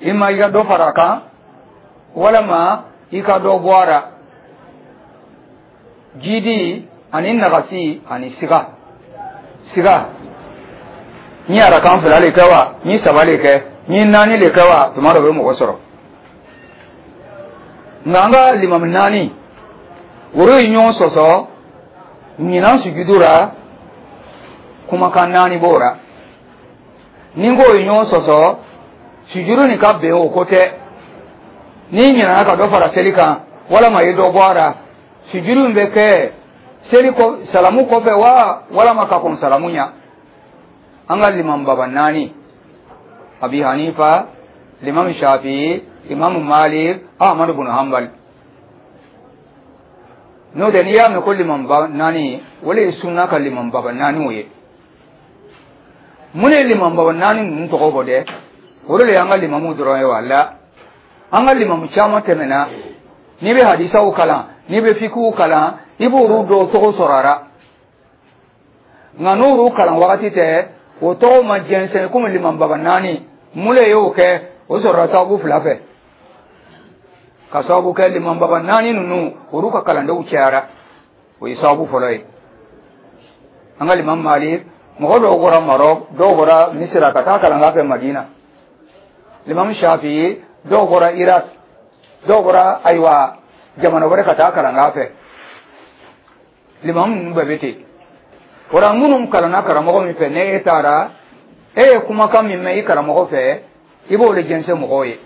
I ma i ka dɔ fara a kan walama i ka dɔ bɔ a ra, jidi ani nagasi ani siga siga. N ye arakan fila le kɛ wa, n ye saba le kɛ, n ye naani le kɛ wa, tuma dɔ bɛ mɔgɔ sɔrɔ. Nka an ka limami naani olu ye ɲɔgɔn sɔsɔ ɲinan sujudu ra. Kumakan naani b'o ra. Ni n k'o ye ɲɔgɔn sɔsɔ sujudu nin ka bɛn, o ko tɛ. N'i ɲinɛna ka dɔ fara seli kan walama i ye dɔ bɔ a ra, sujudu in bɛ kɛ seli kɔ salamu kɔfɛ wa, walama ka kɔn salamu ɲa? An ka limam baba naani, Abi Hanifa, Limam Shafi, Imam Malik, Ahmadu bin Hanbal. N'o tɛ, n'i y'a mɛn ko limam ba naani, o le ye sunna ka limam baba naaniw ye. Mun ye limam baba naani ninnu tɔgɔ bɔ dɛ? O de y'an ka limamu dɔrɔn ye. Wala an ka limamu caman tɛmɛna. N'i bɛ hadisaw kalan, n'i bɛ fikiw kalan, i b'olu dɔw tɔgɔ sɔrɔ a la. Nka n'olu kalan wagati tɛ, o tɔgɔ ma jɛnsɛn komi limam baba naani. Mun le y'o kɛ? O sɔrɔla sababu fila fɛ, ka sababu kɛ limam baba naani ninnu, olu ka kalandenw cayara. O ye sababu fɔlɔ ye. An ka limam Malik, mɔgɔ dɔw bɔra Marɔk, dɔw bɔra Misira ka taa kalan fɛ Madina. Limam Shafi, dɔw bɔra Irak, dɔw bɔra, ayiwa, jamana wɛrɛ ka taa kalan fɛ. Limam ninnu bɛɛ bɛ ten. O la, minnu kalanna karamɔgɔ min fɛ, ne e taara, e ye kumakan min mɛn i karamɔgɔ fɛ, i b'o de jɛnsɛn mɔgɔw ye.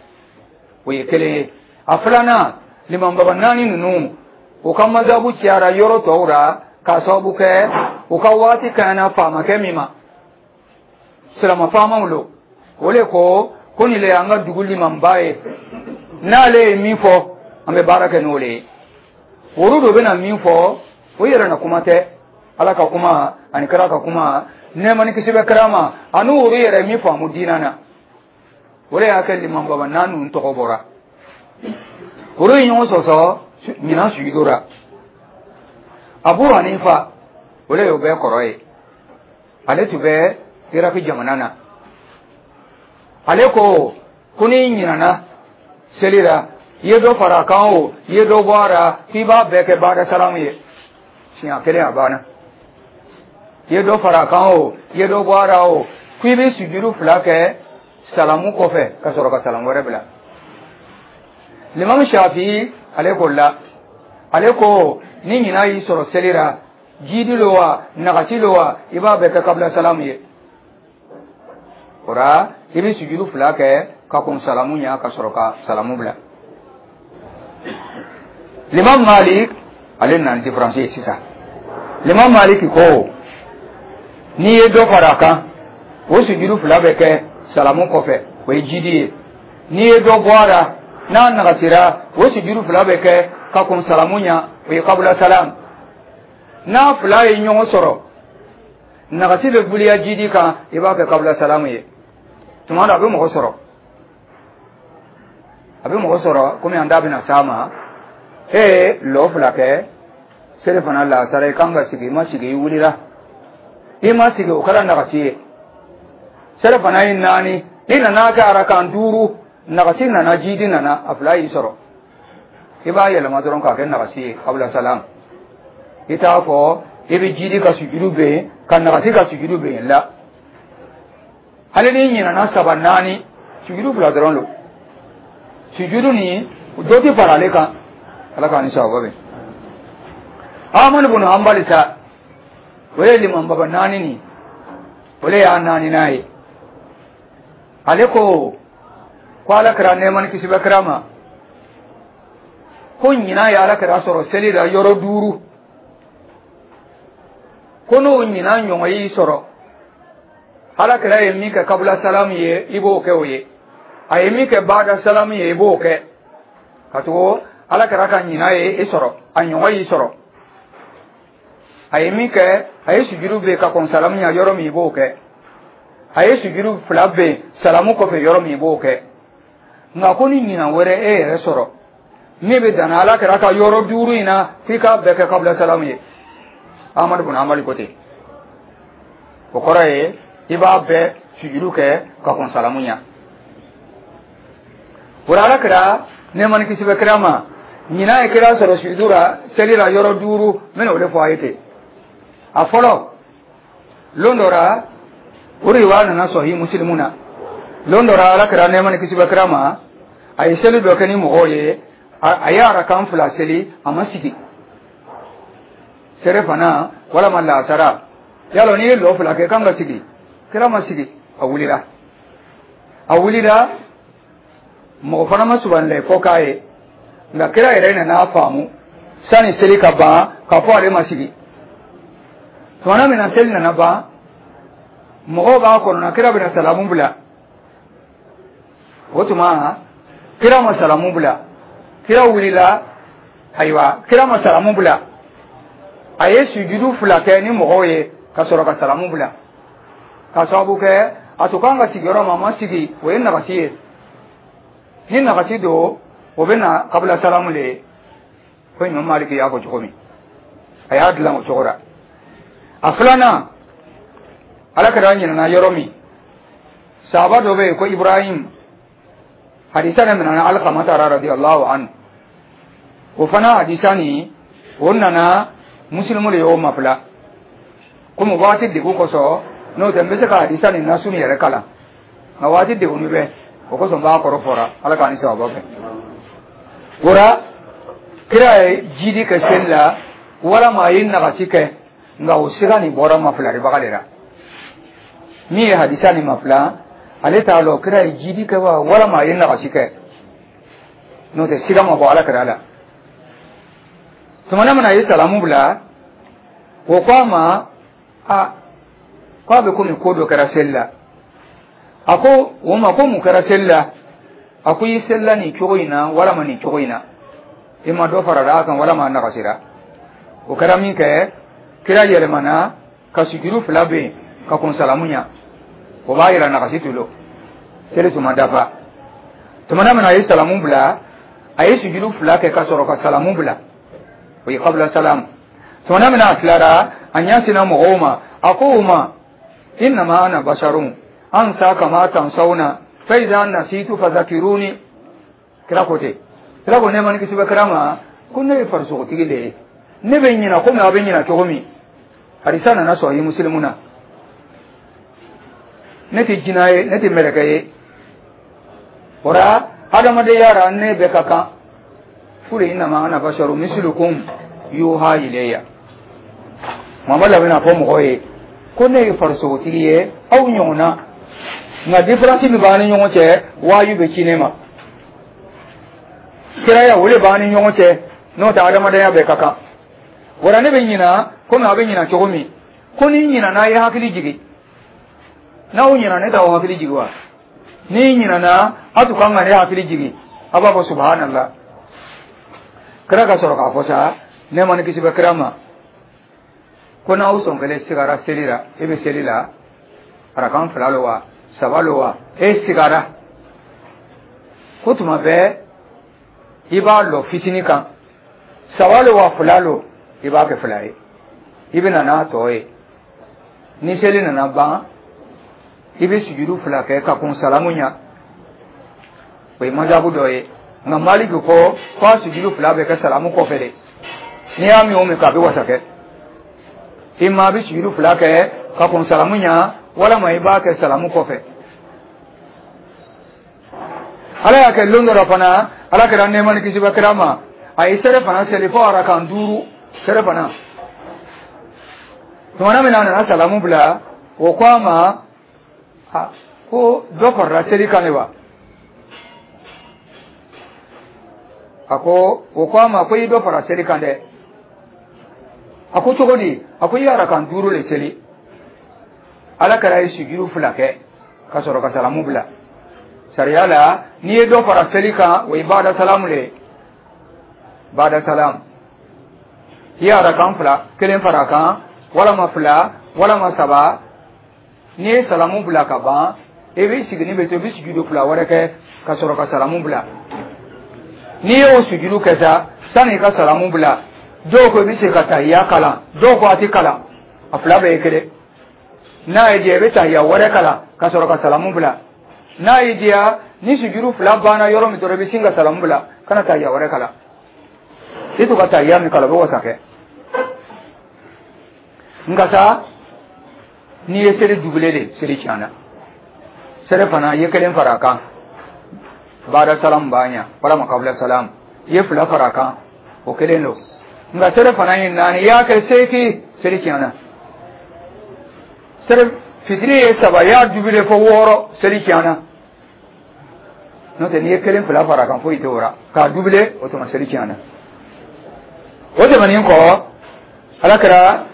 O ye kelen ye. A filanan, limam baba naani ninnu, u ka mazabu cayara yɔrɔ tɔw la, k'a sababu kɛ u ka waati kaɲana faamakɛ min ma, silama faamaw lo. O le ko ko nin le y'an ka dugu limamba ye, n'ale ye min fɔ, an bɛ baara kɛ n'o le ye. Olu do bɛna min fɔ, o yɛrɛ na kuma tɛ. Ala ka kuma ani kira ka kuma, nɛɛma ni kisi bɛ kira ma, ani olu yɛrɛ min faamu diinɛ na, o de y'a kɛ limam baba naani ninnu tɔgɔ bɔra. Olu ye ɲɔgɔn sɔsɔ ɲinan sujudu la. Abu Hanifa, o de y'o bɛɛ kɔrɔ ye, ale tun bɛ Iraki jamana na. Ale ko ko n'i ɲinana seli la, i ye dɔ fara a kan o, i ye dɔ bɔ a la, k'i b'a bɛɛ kɛ baada salamu ye siɲɛ kelen, a banna. I ye dɔ fara a kan o, i ye dɔ bɔ a la o, k'i bɛ sujudu fila kɛ salamu kɔfɛ ka sɔrɔ ka salamu wɛrɛ bila. Limam Shafi, ale ko la, ale ko ni ɲina y'i sɔrɔ seli la, jidi lo wa, nagasi lo wa, i b'a bɛɛ kɛ kabila salamu ye. O la, i bɛ sujudu fila kɛ ka kɔn salamu ɲɛ ka sɔrɔ ka salamu bila. Limam Malik, ale nana différence ye sisan. Limam Malik ko n'i ye dɔ fara a kan, o sujudu fila bɛ kɛ salamu kɔfɛ, o ye jidi ye. N'i ye dɔ bɔ a la, n'a nagasira, o sujudu fila bɛ kɛ ka kɔn salamu ɲɛ, o ye kabula salam. N'a fila ye ɲɔgɔn sɔrɔ, nagasi bɛ guliya jidi kan, i b'a kɛ kabula salamu ye. Tuma dɔ a bɛ mɔgɔ sɔrɔ, a bɛ mɔgɔ sɔrɔ komi an da bɛna s'a ma. E ye lɔ fila kɛ seli fana lasara, i kan ka sigi, i ma sigi, i wulila, i ma sigi, o kɛra nagasi ye. Seli fana ye naani, i nana kɛ arakan duuru, nagasi nana, jidi nana, a fila y'i sɔrɔ, i b'a yɛlɛma dɔrɔn k'a kɛ nagasi ye, kabila salam. I t'a fɔ i bɛ jidi ka sujudu bɛ yen, ka nagasi ka sujudu bɛ yen la. Hali n'i ɲinana saba, naani, sujudu fila dɔrɔn don. Sujudu nin, dɔ tɛ fara ale kan. Ala k'an ni sababa bɛn. Amadu bunu Hanbali sa, o ye liman baba naani nin, o le y'a naaninan ye. Ale ko ko Ala kɛra, nɛɛma ni kisi bɛ kira ma, ko ɲinan ye Ala kɛra sɔrɔ seli la yɔrɔ duuru. Ko n'o ɲinan ɲɔgɔn y'i sɔrɔ, Ala kɛra ye min kɛ kabula salamu ye, i b'o kɛ o ye. A ye min kɛ baada salamu ye, i b'o kɛ, ka tugu Ala kɛra ka ɲinan ye i sɔrɔ, a ɲɔgɔn y'i sɔrɔ. A ye min kɛ, a ye sujudu bɛ ka kɔn salamu ɲɛ yɔrɔ min, i b'o kɛ. A ye sujudu fila bɛ salamu kɔfɛ yɔrɔ min, i b'o kɛ. Nka ko ni ɲinan wɛrɛ e yɛrɛ sɔrɔ min bɛ danna Ala kɛra ka yɔrɔ duuru in na, f'i k'a bɛɛ kɛ kabila salamu ye. Amadu bun Amali ko ten. O kɔrɔ ye i b'a bɛɛ sujudu kɛ ka kɔn salamu ɲɛ. O la, Ala kira, nɛɛma ni kisi bɛ kira ma, ɲinan ye kira sɔrɔ sujudu la seli la yɔrɔ duuru. N bɛna o de fɔ a ye ten. A fɔlɔ, lon dɔ la, o riwaya nana Sɔhi Musilimu na. Lon dɔ la, Ala kira, nɛɛma ni kisi bɛ kira ma, a ye seli dɔ kɛ ni mɔgɔw ye. A ye arakan fila seli, a ma sigi. Fana walama laasara yalɔ, n'i ye lɔ fila kɛ, kan ka sigi. Kira ma sigi, a wulila. A wulila, mɔgɔ fana ma subanilɛ fɔ k'a ye. Nka kira yɛrɛ nana faamu sani seli ka ban k'a fɔ ale ma sigi. Tumana min na seli nana ban, mɔgɔw b'a kɔnɔna, kira bɛna salamu bila. O tuma kira ma salamu bila, kira wulila. Ayiwa, kira ma salamu bila, a ye sujudu fila kɛ ni mɔgɔw ye ka sɔrɔ ka salamu bila, ka sababu kɛ a tun kan ka sigi yɔrɔ ma, a ma sigi. O ye nagasi ye. Ni nagasi don, o bɛ na kabila salamu le ye. Ko Imam Maliki y'a fɔ cogo min, a y'a dilan o cogo la. A filanan, Ala kɛra ɲinana yɔrɔ min, sahaba dɔ bɛ yen ko Ibrahim. Hadisa ne minɛna Alkamata radiyallahu anhu. O fana hadisa nin, o nana Musilimu de y'o mafila. Komi waati degun kosɔn, n'o tɛ n bɛ se ka hadisa nin nasu nin yɛrɛ kalan, nka waati degunni bɛ o kosɔn, n b'a kɔrɔ fɔra. Ala k'an ni sababa fɛ. O la, kira ye jidi kɛ seli la walama a ye nagasi kɛ, nka o siga nin bɔra mafilaribaga de la. Min ye hadisa nin mafila, ale t'a lɔn kira ye jidi kɛ wa walama a ye nagasi kɛ. N'o tɛ, siga ma bɔ Ala kira la. Tumana min na a ye salamu bila, o ko a ma a ko a bɛ komi ko dɔ kɛra seli la. A ko o ma ko mun kɛra seli la? A ko i selila nin cogo in na walama nin cogo in na, i ma dɔ farala a kan walama a nagasira. O kɛra min kɛ, kira yɛlɛmana ka sujuru fila bɛ yen ka kun salamu ɲa. O b'a yira nagasi tulo seli tun ma dafa. Tumana min na a ye salamu bila, a ye sujuru fila kɛ ka sɔrɔ ka salamu bila, o ye kabila salamu. Tumana min na a tilara, a ɲɛsinna mɔgɔw ma, a ko u ma: innama ana basharun ansa kama tansawna fa iza nasitu fadhakiruni. Kira ko ten. Kira ko, nɛɛma ni kisi bɛ kira ma, ko ne ye farisogotigi de ye, ne bɛ ɲina komi aw bɛ ɲina cogo min. Hadisa nana Sɔhi Musilimu na. Ne tɛ jinɛ ye, ne tɛ mɛlɛkɛ ye. O la, adamadenya la, ne bɛ ka kan furu. Innama ana basharu mislukum yuha ilayya. Muhamadu bɛna fɔ mɔgɔw ye ko ne ye farisogotigi ye aw ɲɔgɔn na, nka différence min b'an ni ɲɔgɔn cɛ, waaju bɛ ci ne ma. Kiraya, o de b'an ni ɲɔgɔn cɛ. N'o tɛ, adamadenya bɛɛ ka kan. Wala ne bɛ ɲina komi a bɛ ɲina cogo min. Ko ni ɲinana, a ye hakili jigin. N'aw ɲina, ne t'aw hakili jigin wa? Ni ɲinana, a tun kan ka ne hakili jigin. A b'a fɔ subhanallah. Kira ka sɔrɔ k'a fɔ sa, nɛɛma ni kisi bɛ kira ma, ko n'aw sɔn kelen sigara seli la, e bɛ seli la, arakan fila lo wa, saba lo wa, e sigara, ko tuma bɛɛ i b'a lɔ fitinin kan. Saba lo wa, fila lo, i b'a kɛ fila ye, i bɛ na n'a tɔ ye. Ni seli nana ban, i bɛ sujudu fila kɛ ka kun salamu ɲa. O ye majabu dɔ ye. Nka Maliki ko k'a sujudu fila bɛ kɛ salamu kɔfɛ de. N'i y'a min o min k'a bɛ wasa kɛ i ma, a bɛ sujudu fila kɛ ka kun salamu ɲa walama i b'a kɛ salamu kɔfɛ. Ala y'a kɛ, lon dɔ la fana, Ala kɛra, nɛɛma ni kisi bɛ kira ma, a ye sɛrɛ fana seli fo arakan duuru sɛrɛ fana. Tumana min na a nana salamu bila, o ko a ma ko dɔ farala seli kan de wa? A ko, o ko a ma ko i dɔ fara seli kan dɛ. A ko cogo di? A ko i ye arakan duuru le seli. Ala kɛra ye sujudu fila kɛ ka sɔrɔ ka salamu bila. Sariya la, n'i ye dɔ fara seli kan, o ye bada salamu le ye. Bada salamu, i ye arakan fila kelen fara a kan walama fila walama saba, n'i ye salamu bila ka ban, i b'i sigini bɛ to, i bɛ sujudu fila wɛrɛ kɛ ka sɔrɔ ka salamu bila. N'i y'o sujudu kɛ sa, sani i ka salamu bila, dɔw ko i bɛ se ka tahiya kalan, dɔw ko a tɛ kalan. A fila bɛɛ ye kelen. N'a y'i diya, i bɛ tahiya wɛrɛ kalan ka sɔrɔ ka salamu bila. N'a y'i diya Ni sujuru fila banna yɔrɔ min dɔrɔn, i bɛ sin ka salamu bila, kana tahiya wɛrɛ kalan. I to ka tahiya min kalan, o bɛ wasa kɛ. Nka sa, n'i ye seli dubile de, seli tiɲɛna. Selifana, i ye kelen fara a kan, baada salam b'a ɲa walama kabila salam. I ye fila fara a kan, o kelen don. Nka selifana ye naani, i y'a kɛ 8, seli tiɲɛna. Seli fitiri ye saba, i y'a dubile fo wɔɔrɔ, seli tiɲɛna. N'o tɛ, n'i ye kelen fila fara a kan, foyi tɛ o la. K'a dubile, o tuma seli tiɲɛna. O tɛmɛnen kɔ, Ala kɛra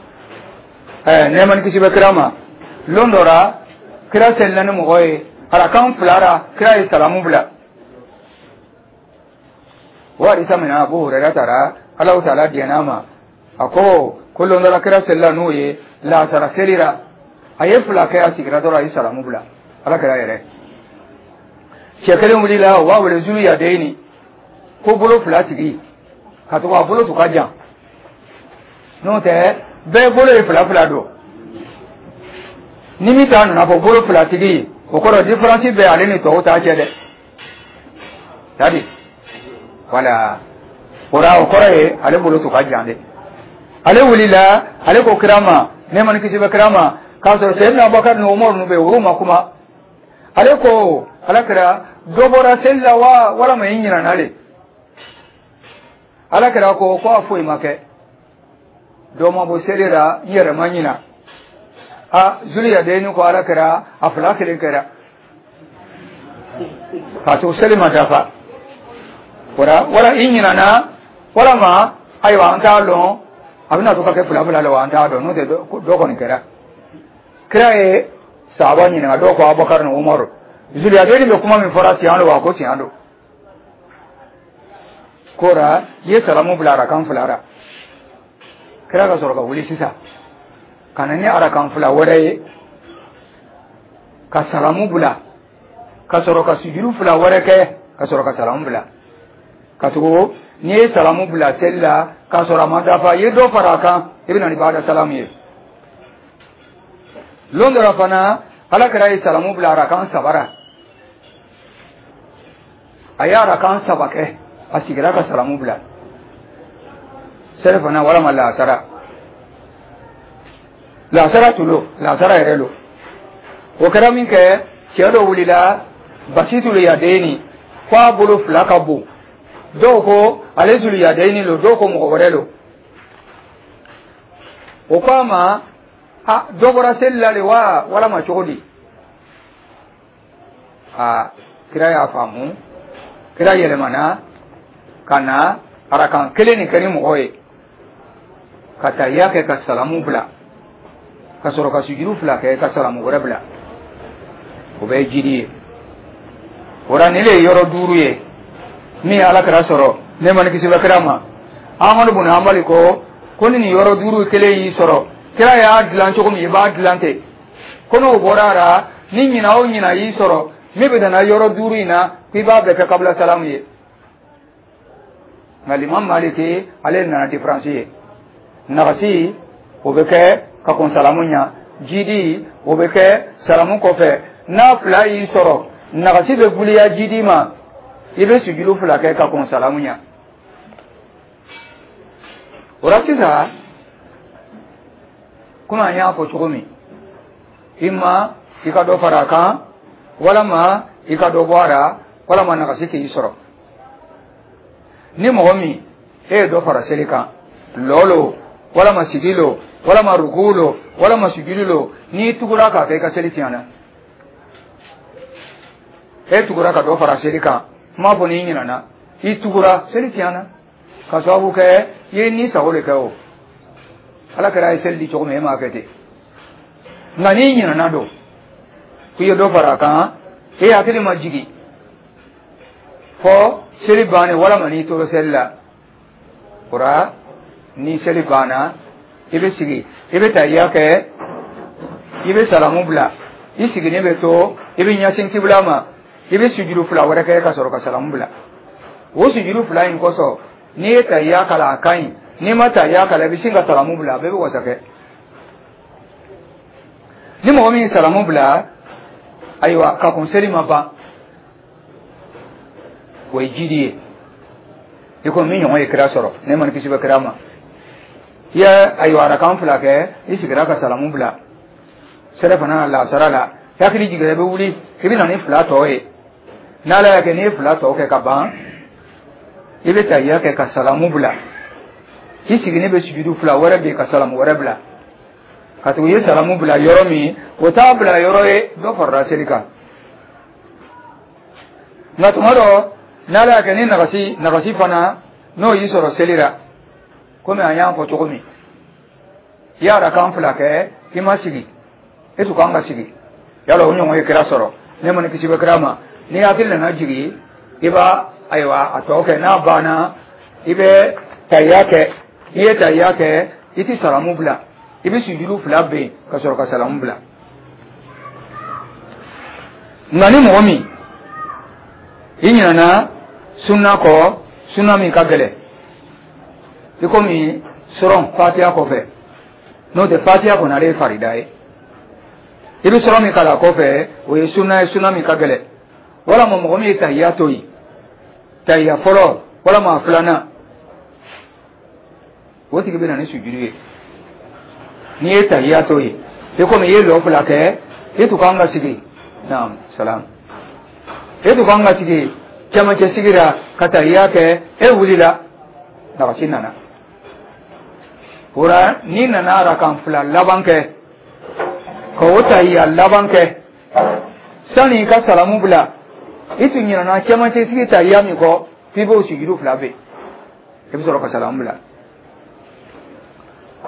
nɛɛma ni kisi bɛ kira ma, lon dɔ la, kira selila ni mɔgɔ ye arakan fila la, kira ye salamu bila. O hadisa min na Abu Hurayra taara, Alahu Taala diɲɛna ma, a ko lon dɔ la, kira selila n'o ye laasara seli la, a ye fila kɛ, a sigira dɔrɔn, a ye salamu bila. Ala kɛra yɛrɛ cɛ kelen wulila, o b'a wele Zulu Yadeyini, ko bolo fila tigi, ka to a bolo tun ka jan. N'o tɛ, bɛɛ bolo ye fila fila don. Ni min ta nana fɔ bolo fila tigi, o kɔrɔ différence bɛ ale ni tɔw ta cɛ dɛ. Tadi wala o la, o kɔrɔ ye ale bolo tun ka jan dɛ. Ale wulila, ale ko kira ma, nɛɛma ni kisi bɛ kira ma, k'a sɔrɔ Seyidina Abubakar ni Umaru ninnu bɛ yen, olu ma kuma. Ale ko: Ala kɛra, dɔ bɔra seli la wa, walama i ɲinɛna le? Ala kɛra ko a foyi ma kɛ, dɔ ma bɔ seli la, n yɛrɛ ma ɲina. A Zuliyadeni ko: Ala kɛra, a fila kelen kɛra k'a to seli ma dafa wala, wala i ɲinana, walama ayiwa, an t'a lɔn a bɛna to ka kɛ fila fila la wa, an t'a dɔn. N'o tɛ, dɔ kɔni kɛra. Kira ye sahaba ɲininka, dɔw ko Abubakar ni Umaru: Zuliyadeni bɛ kuma min fɔra, tiɲɛ don wa? Ko tiɲɛ don. Kora i ye salamu bila arakan fila la. Kira ka sɔrɔ ka wuli sisan ka na ni arakan fila wɛrɛ ye, ka salamu bila, ka sɔrɔ ka sujuru fila wɛrɛ kɛ, ka sɔrɔ ka salamu bila. Ka tugu, n'i ye salamu bila seli la k'a sɔrɔ a ma dafa, i ye dɔ fara a kan, i bɛ na ni baada salamu ye. Lon dɔ la fana, Ala kɛra ye salamu bila arakan saba la. A ye arakan saba kɛ, a sigira ka salamu bila, selifana walama laasara, laasara tulo, laasara yɛrɛ lo. O kɛra min kɛ, cɛ dɔ wulila, Basitulu Yadeni, ko a bolo fila ka bon. Dɔw ko ale Zulu Yadeni lo, dɔw ko mɔgɔ wɛrɛ lo. O ko a ma: a dɔ bɔra seli la le wa, walama cogo di? A kira y'a faamu. Kira yɛlɛmana ka na arakan kelen nin kɛ ni mɔgɔ ye, ka tahiya kɛ, ka salamu bila, ka sɔrɔ ka sujuru fila kɛ, ka salamu wɛrɛ bila. O bɛ ye jidi ye. O la, nin de ye yɔrɔ duuru ye min ye Ala kɛra sɔrɔ, nɛɛma ni kisi bɛ kira ma. Amadu bun Hanbali ko ni nin yɔrɔ duuru kelen y'i sɔrɔ, kira y'a dilan cogo min, i b'a dilan ten. Ko n'o bɔra a la, ni ɲina o ɲina y'i sɔrɔ min bɛ nana yɔrɔ duuru in na, k'i b'a bɛɛ kɛ kabila salamu ye. Nka Limam Maliki, ale nana différence ye. Nagasi, o bɛ kɛ ka kɔn salamu ɲa. Jidi, o bɛ kɛ salamu kɔfɛ. N'a fila y'i sɔrɔ, nagasi bɛ guliya jidi ma, i bɛ sujuru fila kɛ ka kɔn salamu ɲa. O la sisan, komi an y'a fɔ cogo min, i ma i ka dɔ fara a kan, walama i ka dɔ bɔ a la, walama nagasi k'i sɔrɔ. Ni mɔgɔ min e ye dɔ fara seli kan, lɔ lo, walama sigi lo, walama ruku lo, walama sujudi lo, n'i tugura k'a kɛ, i ka seli tiɲɛna. E tugura ka dɔ fara seli kan, n m'a fɔ n'i ɲinana, i tugura, seli tiɲɛna, ka sababu kɛ i ye ni sago de kɛ. O Ala kɛra ye seli di cogo min, e m'a kɛ ten. Nka n'i ɲinana don k'i ye dɔ fara a kan, e hakili ma jigin fɔ seli bannen, walama n'i tora seli la, o la ni seli banna, i bɛ sigi, i bɛ tahiya kɛ, i bɛ salamu bila, i sigilen bɛ to, i bɛ ɲɛsin kibula ma, i bɛ sujuru fila wɛrɛ kɛ, ka sɔrɔ ka salamu bila. O sujuru fila in kosɔn, n'i ye tahiya kalan, a ka ɲi. N'i ma tahiya kalan, i bɛ sin ka salamu bila, a bɛɛ bɛ wasa kɛ. Ni mɔgɔ min ye salamu bila, ayiwa, ka kun seli ma ban. O ye jidi ye. I ko min ɲɔgɔn ye kira sɔrɔ, nɛɛma ni kisi bɛ kira ma. I ye ayiwa arakan fila kɛ, i sigira ka salamu bila. Sɛrɛ fana lasara la, i hakili jiginra, i bɛ wuli, i bɛ na ni fila tɔ ye. N'Ala y'a kɛ n'i ye fila tɔ kɛ ka ban, i bɛ tahiya kɛ ka salamu bila. I sigilen bɛ sujudu fila wɛrɛ bɛ yen ka salamu wɛrɛ bila. Ka tugu i ye salamu bila yɔrɔ min, o t'a bila yɔrɔ ye, dɔ farala seli kan. Nka tuma dɔ, n'Ala y'a kɛ ni nagasi fana n'o y'i sɔrɔ seli la, komi an y'a fɔ cogo min, i y'a rakan fila kɛ, i ma sigi, e tun kan ka sigi. Yala o ɲɔgɔn ye kira sɔrɔ, nɛɛma ni kisi bɛ kira ma. Ni hakili nana jigin, i b'a ayiwa a tɔ kɛ. N'a banna, i bɛ tahiya kɛ. N'i ye tahiya kɛ, i ti salamu bila, i bɛ sujudu fila ben ka sɔrɔ ka salamu bila. Nka ni mɔgɔ min i ɲinɛna sunna kɔ, sunna min ka gɛlɛn, i komi sɔrɔn fatiya kɔfɛ, n'o tɛ fatiya kɔni ale ye farida ye, i bɛ sɔrɔ min kalan kɔfɛ, o ye sunna ye, sunna min ka gɛlɛn. Walama mɔgɔ min ye tahiya to yen, tahiya fɔlɔ walama filanan, o tigi bɛ na ni sujudu ye. N'i ye tahiya to yen, i komi i ye lɔ fila kɛ, i tun kan ka sigi, naam salam, e tun kan ka sigi cɛmancɛ sigi la ka tahiya kɛ, e wulila, nagasi nana o la. N'i nana arakan fila laban kɛ ka o tahiya laban kɛ, sani i ka salamu bila, i tun ɲinɛna cɛmancɛ sigi tahiya min kɔ, f'i b'o sujudu fila ben, i bɛ sɔrɔ ka salamu bila.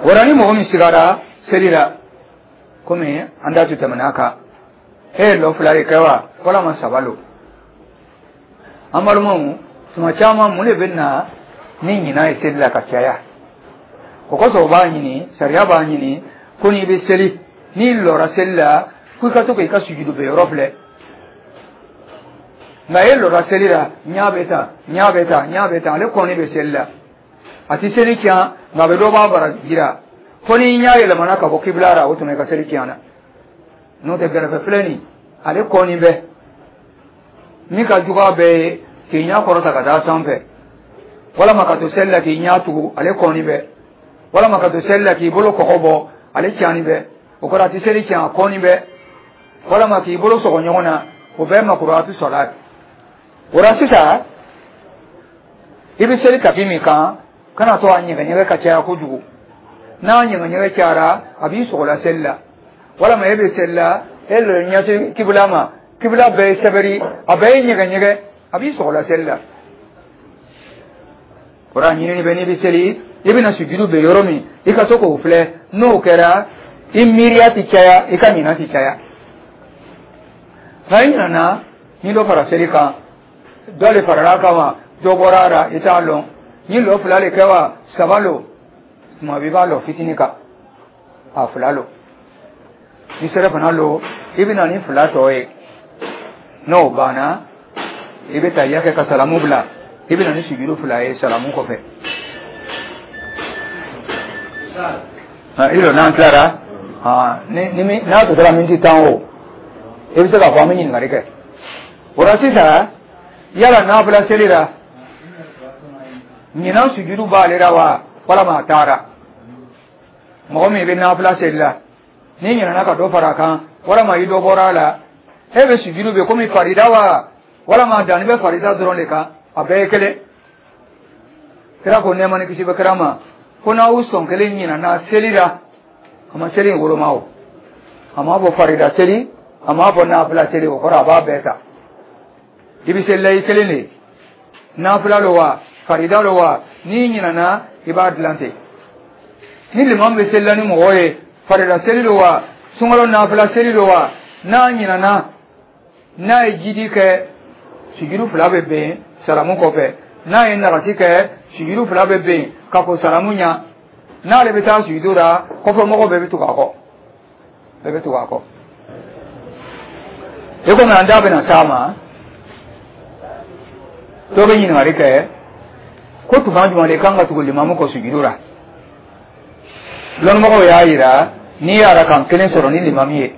O la, ni mɔgɔ min sigara seli la, komi an da tun tɛmɛna a kan, e ye lɔ fila de kɛ wa walama saba lo? An balimaw, tuma caman, mun de bɛ na ni ɲinan ye seli la ka caya? O kosɔn o b'a ɲini, sariya b'a ɲini ko n'i bɛ seli, n'i lɔra seli la, ko i ka to k'i ka sujudu bɛ yɔrɔ filɛ. Nka e lɔra seli la, ɲa bɛ tan, ɲa bɛ tan, ɲa bɛ tan, ale kɔni bɛ seli la, a ti seli tiɲɛ, nka a bɛ dɔ b'a baraji la. Fo n'i ɲa yɛlɛmana ka bɔ kibila la, o tuma i ka seli tiɲɛna. N'o tɛ, gɛrɛfɛ filɛ nin, ale kɔni bɛ min ka jugu a bɛɛ ye, k'i ɲɛ kɔrɔta ka taa sanfɛ, walama ka to seli la k'i ɲɛ tugu, ale kɔni bɛ, walama ka to seli la k'i bolo kɔgɔ bɔ, ale tiɲɛni bɛ. O kɔrɔ, a tɛ seli tiɲɛ, a kɔni bɛ. Walama k'i bolo sɔgɔ ɲɔgɔn na, o bɛɛ makuruhatu sɔla. O la sisan, i bɛ seli tapi min kan, kana to a ɲɛgɛɲɛgɛ ka caya kojugu. N'a ɲɛgɛɲɛgɛ cayara, a b'i sɔgɔla seli la. Walama e bɛ seli la, e le ɲɛsin kibila ma, kibila bɛɛ ye sɛbɛri, a bɛɛ ye ɲɛgɛɲɛgɛ, a b'i sɔgɔla seli la. O la, ɲinini bɛ, n'i bɛ seli, i bɛna sujudu bɛ yɔrɔ min, i ka to k'o filɛ. N'o kɛra, i miiriya ti caya, i ka ɲinan ti caya. Nka i ɲinana ni dɔ fara seli kan, dɔ le farala kan wa, dɔ bɔra a la, i t'a lɔn, ni lɔ fila le kɛ wa saba lo, tuma bɛɛ i b'a lɔ fitinin kan, a fila lo. Ni sɛrɛ fana lo, i bɛ na ni fila tɔ ye. N'o banna, i bɛ tahiya kɛ ka salamu bila, i bɛ na ni sujudu fila ye salamu kɔfɛ. I n'an tilara ni n'a tɔ tora miniti 10 o, i bɛ se k'a fɔ an bɛ ɲininkali kɛ. O la sisan, yala nafila seli la, ɲinan sujudu b'ale la wa walama a taara? Mɔgɔ min bɛ nafila seli la, n'i ɲinɛna ka dɔ fara a kan walama i dɔ bɔra a la, e bɛ sujudu bɛ komi farida wa walama danni bɛ farida dɔrɔn de kan? A bɛɛ ye kelen. Kira ko, nɛɛma ni kisi bɛ kira ma, ko n'aw sɔn kelen ɲinɛna seli la, a ma seli in woloma o, a m'a fɔ farida seli, a m'a fɔ nafila seli, o kɔrɔ a b'a bɛɛ ta. I bɛ seli la i kelen de, nafila lo wa farida lo wa, n'i ɲinɛna, i b'a dilan ten. Ni limamu bɛ seli la ni mɔgɔ ye, farida seli lo wa sunkalo nafila seli lo wa, n'a ɲinɛna, n'a ye jidi kɛ, sujudu fila bɛ ben salamu kɔfɛ. N'a ye nagasi kɛ, sujudu fila bɛ ben ka ko salamu ɲa. N'ale bɛ taa sujudu la, kɔfɛ mɔgɔw bɛɛ bɛ tugu a kɔ, bɛɛ bɛ tugu a kɔ. I komi an da bɛna s'a ma, dɔ bɛ ɲininkali kɛ ko tuma jumɛn de kan ka tugu limamu kɔ sujudu la? Lɔnnimɔgɔw y'a yira, n'i ye arakan kelen sɔrɔ ni limamu ye,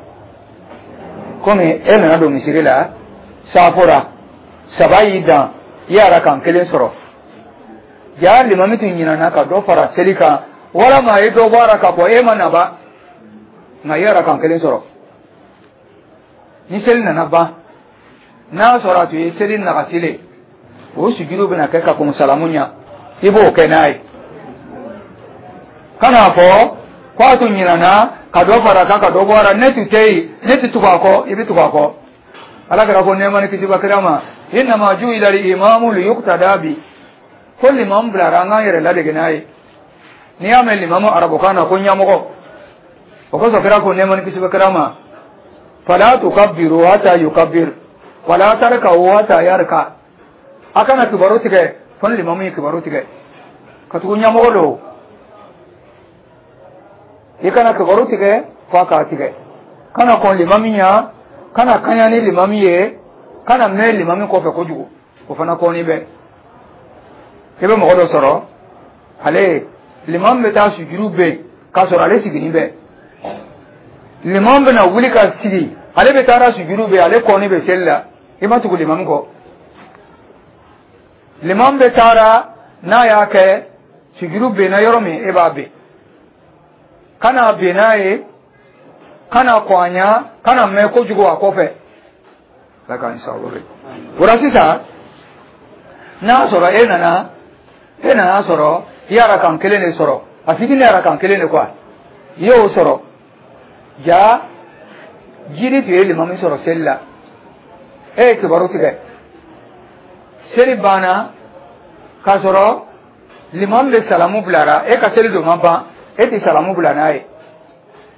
komi e nana don misiri la, saafo la, saba y'i dan, I ye arakan kelen sɔrɔ. Ja limami tun ɲinana ka dɔ fara seli kan, walama a ye dɔ bɔ a la ka bɔ, e ma naba, nka i ye arakan kelen sɔrɔ. Ni seli nana ban, n'a sɔrɔ a tun ye seli nagasi le, o sujudu bɛna kɛ ka kɔn salamu ɲɛ, i b'o kɛ n'a ye. Kan'a fɔ ko a tun ɲinana ka dɔ fara kan, ka dɔ bɔ a la, ne tun tɛ yen, ne tɛ tugu a kɔ. I bɛ tugu a kɔ. Ala kira ko, nɛɛma ni kisi bɛ kira ma: "Innama ju'ila al-imamu liyuqtada bi." Ko limamu bilara an k'an yɛrɛ ladege n'a ye. N'i y'a mɛn limamu, arabukan na ko ɲɛmɔgɔ. O kosɔn kira ko, nɛɛma ni kisi bɛ kira ma: "Fala tukabbiru hatta yukabbir wala tarka'u hatta yarka." A kana kibaru tigɛ fo ni limamu ye kibaru tigɛ, ka tugu ɲɛmɔgɔ don. I kana kibaru tigɛ fo a k'a tigɛ. Kana kɔn limami ɲa, kana kaɲa ni limami ye, kana mɛn limami kɔfɛ kojugu. O fana kɔni bɛ, i bɛ mɔgɔ dɔ sɔrɔ, ale limami bɛ taa sujuru bɛ yen k'a sɔrɔ ale siginin bɛ. Limami bɛna wuli ka sigi, ale bɛ taara sujuru bɛ, ale kɔni bɛ seli la. I ma tugu limami kɔ. Limami bɛ taara n'a y'a kɛ sujuru benna yɔrɔ min, e b'a ben. Kana ben n'a ye, kana kɔn a ɲa, kana mɛn kojugu a kɔfɛ. Ala k'an sababu bɛ o la. Sisan, n'a sɔrɔ e nana sɔrɔ i ye arakan kelen de sɔrɔ, a fitinin arakan kelen de quoi, i y'o sɔrɔ. Ja jiri tun ye limami sɔrɔ seli la, e ye kibaru tigɛ, seli banna k'a sɔrɔ limami bɛ salamu bilara, e ka seli don ma ban, e tɛ salamu bila n'a ye.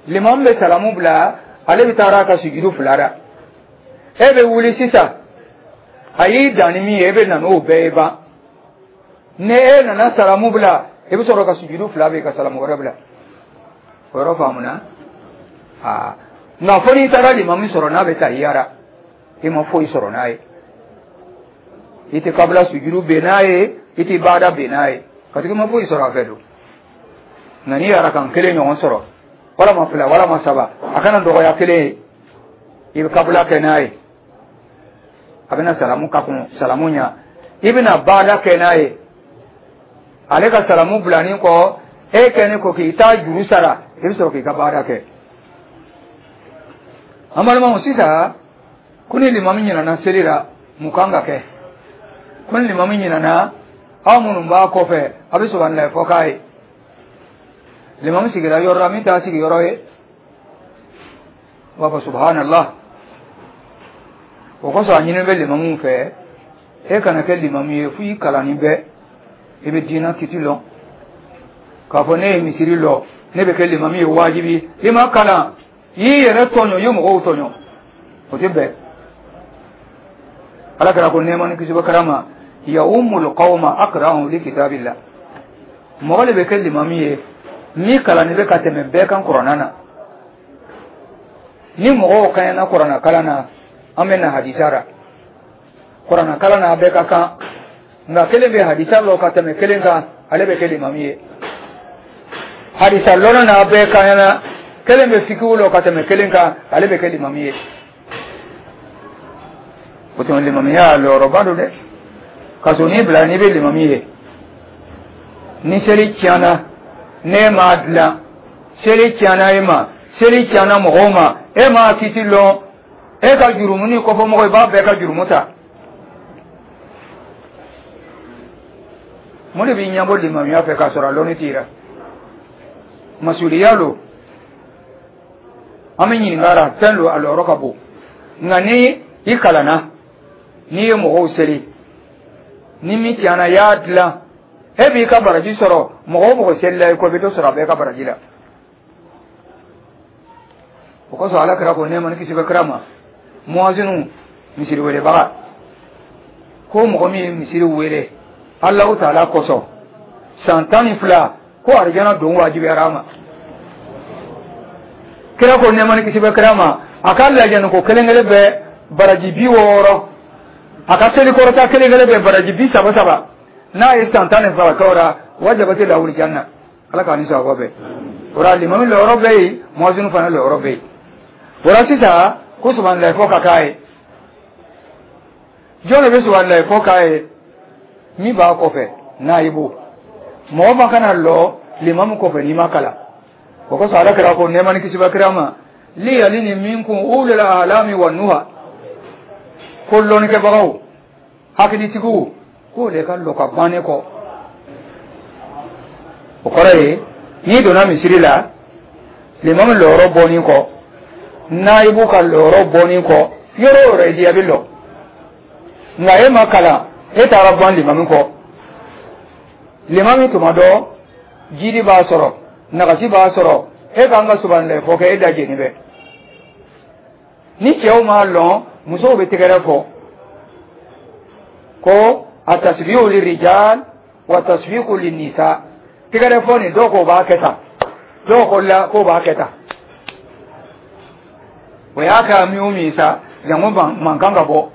Limami bɛ salamu bila, ale bɛ taara a ka sujudu fila la, e bɛ wuli sisan. A y'i dan ni min ye, e bɛ na n'o bɛɛ ye ban. Ni e nana salamu bila, i bɛ sɔrɔ ka sujudu fila bɛ ka salamu wɛrɛ bila. O yɔrɔ faamuna? Aa, nka fo n'i taara limami sɔrɔ n'a bɛ taa yara, i ma foyi sɔrɔ n'a ye. I tɛ kabila sujudu ben n'a ye, i tɛ baada ben n'a ye, parce que i ma foyi sɔrɔ a fɛ don. Nka n'i arakan kelen ɲɔgɔn sɔrɔ, walama fila, walama saba, a kana dɔgɔya kelen ye, i bɛ kabila kɛ n'a ye. A bɛna salamu ka kun salamu ɲa, i bɛna baada kɛ n'a ye. Ale ka salamu bilanin kɔ, e kɛlen ko k'i ta juru sara, i bɛ sɔrɔ k'i ka baara kɛ. An balimaw, sisan ko ni limami ɲinana seli la, mun kan ka kɛ? Ko ni limami ɲinana, aw minnu b'a kɔfɛ, a bɛ subahanallahi fɔ k'a ye. Limami sigira yɔrɔ la min t'a sigiyɔrɔ ye, u b'a fɔ subhanallah. O kosɔn a ɲini bɛ limamuw fɛ, e kana kɛ limamu ye fo i kalannin bɛ, i bɛ diinɛ kiti lɔn. K'a fɔ ne ye misiri lɔ, ne bɛ kɛ limami ye, wajibi. I ma kalan, i y'i yɛrɛ tɔɲɔ, i ye mɔgɔw tɔɲɔ, o tɛ bɛn. Ala kɛra ko, nɛɛma ni kisi bɛ kira ma: "Ya ummul qawma aqra'uhum li kitabillah." Mɔgɔ de bɛ kɛ limami ye ni kalanni bɛ ka tɛmɛ bɛɛ kan kuranna na. Ni mɔgɔw kaɲana kuranna kalan na, an bɛ na hadisa la. Kuranna kalan na, a bɛɛ ka kan, nka kelen bɛ hadisa lɔ ka tɛmɛ kelen kan, ale bɛ kɛ limami ye. Hadisa lɔnna n'a bɛɛ kaɲana, kelen bɛ fikihu lɔ ka tɛmɛ kelen kan, ale bɛ kɛ limami ye. O tuma limamiya lɔyɔrɔba don dɛ. Ka sɔrɔ n'i bila n'i bɛ limami ye, ni seli tiɲɛna, n'e m'a dilan, seli tiɲɛna e ma, seli tiɲɛna mɔgɔw ma, e m'a kiti lɔn, e ka jurumu ni kɔfɛmɔgɔ, i b'a bɛɛ ka jurumu ta. Mun de b'i ɲɛbɔ limamiya fɛ k'a sɔrɔ a lɔnni t'i la? Masuliya lo, an bɛ ɲininka la, fɛn lo a lɔyɔrɔ ka bon. Nka ni i kalanna, n'i ye mɔgɔw seli, ni min tiɲɛna, i y'a dilan, e b'i ka baraji sɔrɔ. Mɔgɔ o mɔgɔ selila i kɔ, i bɛ dɔ sɔrɔ a bɛɛ ka baraji la. O kosɔn Ala kira ko, nɛɛma ni kisi bɛ kira ma, muwazinu, misiri welebaga, ko mɔgɔ min ye misiri wele Alahu taala kosɔn san 12, ko arijana don wajibiyara a ma. Kira ko, nɛɛma ni kisi bɛ kira ma, a ka lajɛni ko kelen kelen bɛ baraji 60, a ka seli kɔrɔta kelen kelen bɛ baraji 30 saba. N'a ye san 12 kɛ o la, wajabati lahul janna. Ala k'a ni sawaba bɛɛ. O la limami lɔyɔrɔ bɛ yen, muwazinu fana lɔyɔrɔ bɛ yen. O la sisan ko subahanallahi fɔ ka k'a ye, jɔn de bɛ subahanallahi fɔ k'a ye? Min b'a kɔfɛ, nayibu, mɔgɔ ma kana lɔ limamu kɔfɛ n'i ma kalan. O kosɔn Ala kira ko, nɛɛma ni kisi bɛ kira ma, liyalini minkum ulul ahlami wa nuha, ko lɔnnikɛbagaw, hakilitigiw, k'o de ka lɔ ka ban ne kɔ. O kɔrɔ ye, n'i donna misiri la, limamu lɔyɔrɔ bɔnin kɔ, nayibu ka lɔyɔrɔ bɔnin kɔ, yɔrɔ o yɔrɔ i diya, bɛ lɔ. Nka e ma kalan, e taara ban limamu kɔ. Limami tuma dɔ jidi b'a sɔrɔ, nagasi b'a sɔrɔ, e k'an ka subanilɛ fɔ kɛ, e da jeni bɛ. Ni cɛw m'a lɔn, musow bɛ tɛgɛrɛ fɔ ko a tasbihu lirijal wa tasbihu linnisa. Tɛgɛrɛ fɔ nin, dɔw ko b'a kɛ tan, dɔw ko la k'o b'a kɛ tan. O y'a kɛ min o min sa, jango mankan ka bɔ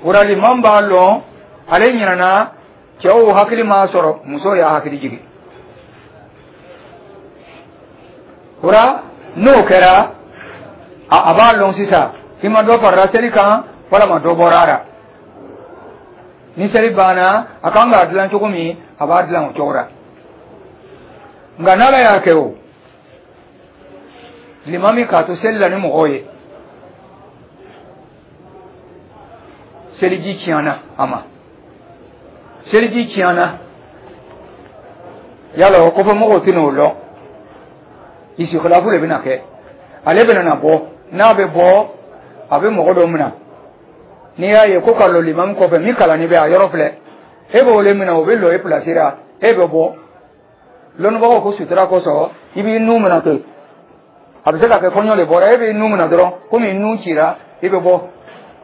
o la. Liman b'a lɔn, ale ɲinana, cɛw hakili m'a sɔrɔ, muso y'a hakili jigin o la. N'o kɛra, a b'a lɔn sisan i ma dɔ farala seli kan walama dɔ bɔra a la. Ni seli banna, a kan k'a dilan cogo min, a b'a dilan o cogo la. Nka n'Ala y'a kɛ, o limami k'a to seli la ni mɔgɔw ye, seliji tiɲɛna a ma, seliji tiɲɛna yala o kɔfɛ mɔgɔw tɛna o lɔn, isikilafu de bɛna kɛ. Ale bɛna na bɔ, n'a bɛ bɔ, a bɛ mɔgɔ dɔ minɛ. N'i y'a ye ko ka lɔ limami kɔfɛ, min kalanni bɛ a yɔrɔ filɛ, e b'o le minɛ, o bɛ lɔ e pilasi la, e bɛ bɔ. Lɔnnibagaw ko sutura kosɔn, i b'i nun minɛ ten. A bɛ se ka kɛ kɔɲɔ de bɔra, e b'i nun minɛ dɔrɔn, komi nun cira, i bɛ bɔ.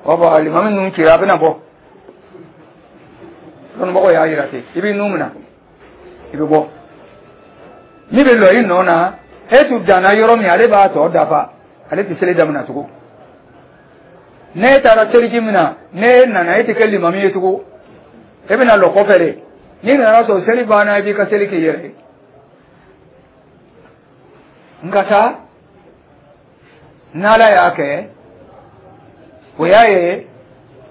O bɔ limami nun cira, a bɛna bɔ. Lɔnnibagaw y'a yira ten, i b'i nun minɛ, i bɛ bɔ. Min bɛ lɔ i nɔ na, e tun danna yɔrɔ min, ale b'a tɔ dafa, ale tɛ seli daminɛ tugun. Ne taara seliji minɛ, ne nana, e tɛ kɛ limami ye tugun, e bɛna lɔ kɔfɛ de. N'i nana sɔrɔ seli banna, i b'i ka seli k'i yɛrɛ ye. Nka sa, n'Ala y'a kɛ, o y'a ye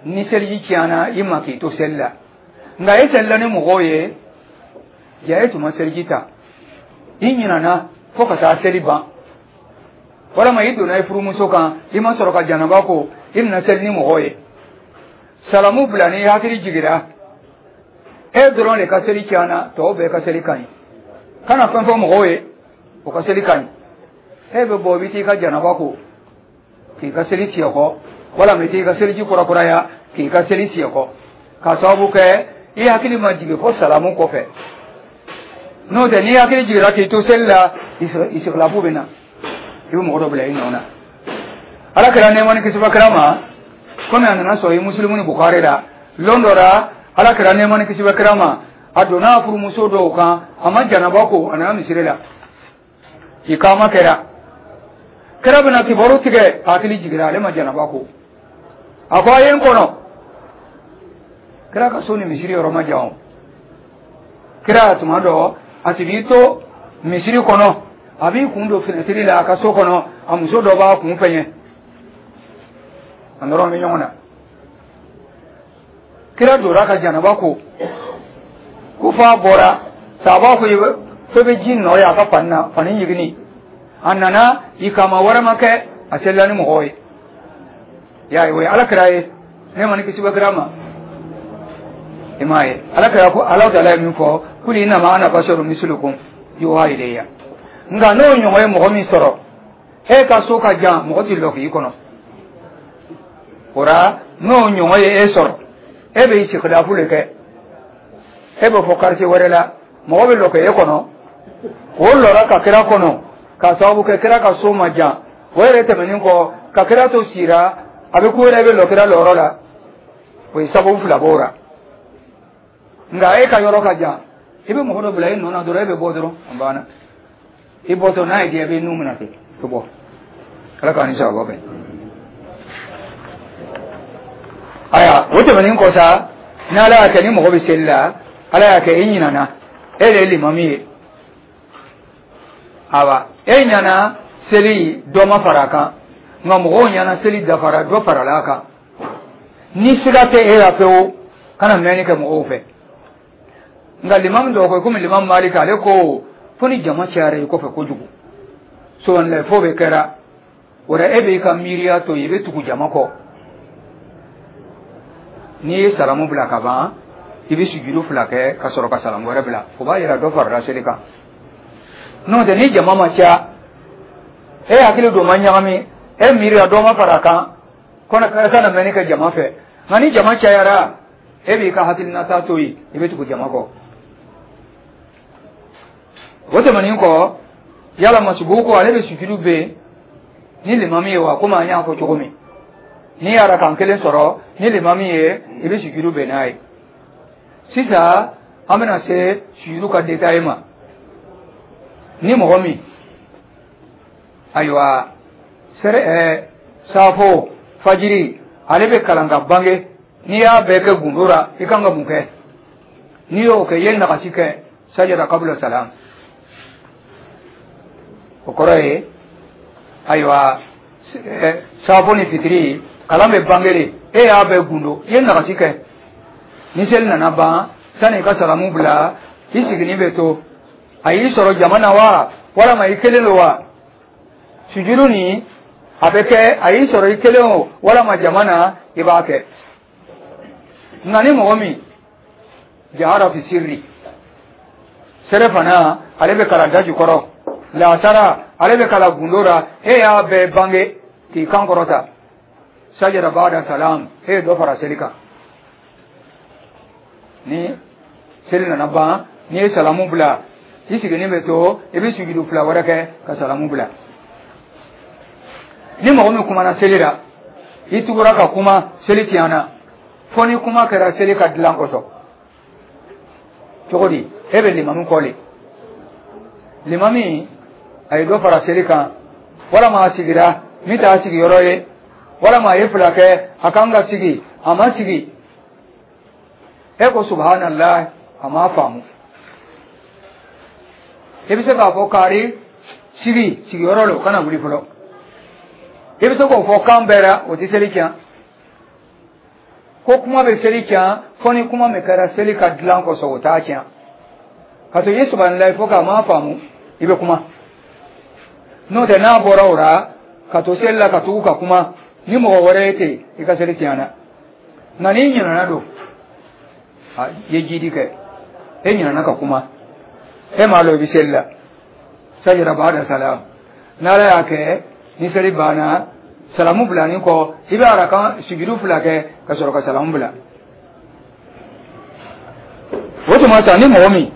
ni seliji tiɲɛna i ma k'i to seli la, nka e selila ni mɔgɔw ye, ja e tun ma seliji ta, i ɲinana fo ka taa seli ban, walama i donna i furumuso kan, i ma sɔrɔ ka janaba ko, i nana seli ni mɔgɔw ye, salamu bila, n'i hakili jigira, e dɔrɔn de ka seli tiɲɛna, tɔw bɛɛ ka seli ka ɲi. Kana fɛn fɔ mɔgɔw ye, o ka seli ka ɲi. E bɛ bɔ, i bɛ t'i ka janaba ko k'i ka seli tiɲɛ kɔ, walama i t'i ka seliji kurakuraya k'i ka seli tiɲɛ kɔ, k'a sababu kɛ i hakili ma jigin fo salamu kɔfɛ. N'o tɛ, n'i hakili jiginra k'i to seli la, isikilafu bɛ na, i bɛ mɔgɔ dɔ bila i nɔ na. Ala kɛra nɛɛma ni kisi bɛ kira ma, komi a nana sɔrɔ i Musilimu ni Bukari la. Lon dɔ la, Ala kɛra nɛɛma ni kisi bɛ kira ma, a donna a furumuso dɔw kan, a ma janaba ko, a nana misiri la, ikama kɛra, kira bɛna kibaru tigɛ, a hakili jiginra, ale ma janaba ko. A ko a ye n kɔnɔ. Kira ka so ni misiri yɔrɔ ma jan. O kira tuma dɔ a tun b'i to misiri kɔnɔ, a b'i kun don finɛtiri la a ka so kɔnɔ, a muso dɔ b'a kun fɛɲɛ, a nɔrɔ bɛ ɲɔgɔn na. Kira donna ka janaba ko, ko f'a bɔra, sabaw ko fo bɛ ji nɔ ye a ka fani na, fani ɲiginni. A nana, ikama wɛrɛ ma kɛ, a selila ni mɔgɔw ye. Y'a ye, o ye Ala kira ye, ne ma ni kisi bɛ kira ma. I m'a ye, Ala kira ko, Ala taala ye min fɔ, kul innama ana basharun mislukum yuha ilayya. Nka n'o ɲɔgɔn ye mɔgɔ min sɔrɔ, e ka so ka jan, mɔgɔ t'i lɔ k'i kɔnɔ o la. N'o ɲɔgɔn ye e sɔrɔ, e bɛ isikilafu de kɛ, e bɛ fɔ quartier wɛrɛ la, mɔgɔ bɛ lɔ k'e kɔnɔ. O lɔra ka kira kɔnɔ, k'a sababu kɛ kira ka so ma jan. O yɛrɛ tɛmɛnen kɔ, ka kira to sira, a bɛ ko yɛrɛ bɛ lɔ kira lɔyɔrɔ la, o ye sababu fila b'o la. Nka e ka yɔrɔ ka jan, i bɛ mɔgɔ dɔ bila i nɔ na dɔrɔn, e bɛ bɔ dɔrɔn, a banna. I bɔtɔ, n'a ye diya, i bɛ nun minɛ ten, i bɛ bɔ. Ala k'an ni sababa bɛn. Ayiwa, o tɛmɛnen kɔ sa, n'Ala y'a kɛ ni mɔgɔ bɛ seli la, Ala y'a kɛ e ɲinana, e de ye limami ye, awa e ɲana seli, dɔ ma fara a kan, nka mɔgɔw ɲana seli dafara, dɔ farala a kan. Ni siga tɛ e la pewu, kana mɛnni kɛ mɔgɔw fɛ. Nka limami dɔw ko, komi limami Maliki, ale ko fo ni jama cayara i kɔfɛ kojugu, subhanallah fo bɛ kɛra o la, e b'i ka miiriya to yen, i bɛ tugu jama kɔ. N'i ye salamu bila ka ban, i bɛ sujudu fila kɛ ka sɔrɔ ka salamu wɛrɛ bila. O b'a yira dɔ farala seli kan. N'o tɛ, ni jama ma ca, e hakili don ma ɲagami, e miiriya dɔ ma fara a kan, kɔnɔ kana mɛnni kɛ jama fɛ. Nka ni jama cayara, e b'i ka hakilinata to yen, i bɛ tugu jama kɔ. O tɛmɛnen kɔ, yala masubuku, ale bɛ sujudu bɛ ni limami ye wa? Komi an y'a fɔ cogo min, n'i y'a kan kelen sɔrɔ ni limami ye, i bɛ sujudu bɛn n'a ye. Sisan an bɛna se sujudu ka détail ma. Ni mɔgɔ min, ayiwa, sɛrɛ saafo, fajiri, ale bɛ kalan ka bange, n'i y'a bɛɛ kɛ gundo la, i kan ka mun kɛ? N'i y'o kɛ, i ye nagasi kɛ. Sajada kabula salam. O kɔrɔ ye, ayiwa, saafo ni fitiri kalan bɛ bange de, e y'a bɛɛ gundo, i ye nagasi kɛ. Ni seli nana ban, sani i ka salamu bila, i siginin bɛ to, a y'i sɔrɔ jama na wa, walama i kelen don wa, sujudu nin a bɛ kɛ, a y'i sɔrɔ i kelen o walama jama na, i b'a kɛ. Nka ni mɔgɔ min jahara fi sirri, sɛrɛ fana ale bɛ kalan da jukɔrɔ, laasara ale bɛ kalan gundo la, e y'a bɛɛ bange k'i kan kɔrɔta, sajada ba'da salam, e ye dɔ fara seli kan. Ni seli nana ban, n'i ye salamu bila, i sigilen bɛ to, i bɛ sujudu fila wɛrɛ kɛ ka salamu bila. Ni mɔgɔ min kumana seli la, i tugura ka kuma, seli tiɲɛna, fo ni kuma kɛra seli ka dilan kosɔn. Cogo di? E bɛ limami kɔ le, limami a ye dɔ fara seli kan, walama a sigira min t'a sigiyɔrɔ ye, walama a ye fila kɛ, a kan ka sigi, a ma sigi, e ko subhanallah, a m'a faamu. I bɛ se k'a fɔ: "Kari, sigi sigiyɔrɔ la, o kana wuli fɔlɔ." I bɛ se k'o fɔ kan bɛɛ la, o tɛ seli tiɲɛ. Ko kuma bɛ seli tiɲɛ fo ni kuma min kɛra seli ka dilan kosɔn, o t'a tiɲɛ. Ka sɔrɔ i ye subhanallah fɔ k'a m'a faamu, i bɛ kuma. N'o tɛ, n'a bɔra o la ka to seli la ka tugu ka kuma ni mɔgɔ wɛrɛ ye ten, i ka seli tiɲɛna. Nka n'i ɲinɛna don, a ye jidi kɛ, e ɲinɛna ka kuma, e m'a lɔn i bɛ seli la, sajada ba'da salam. N'Ala y'a kɛ ni seli banna, salamu bilani kɔ, i bɛ arakan sujudu fila kɛ ka sɔrɔ ka salamu bila. O tuma sa, ni mɔgɔ min,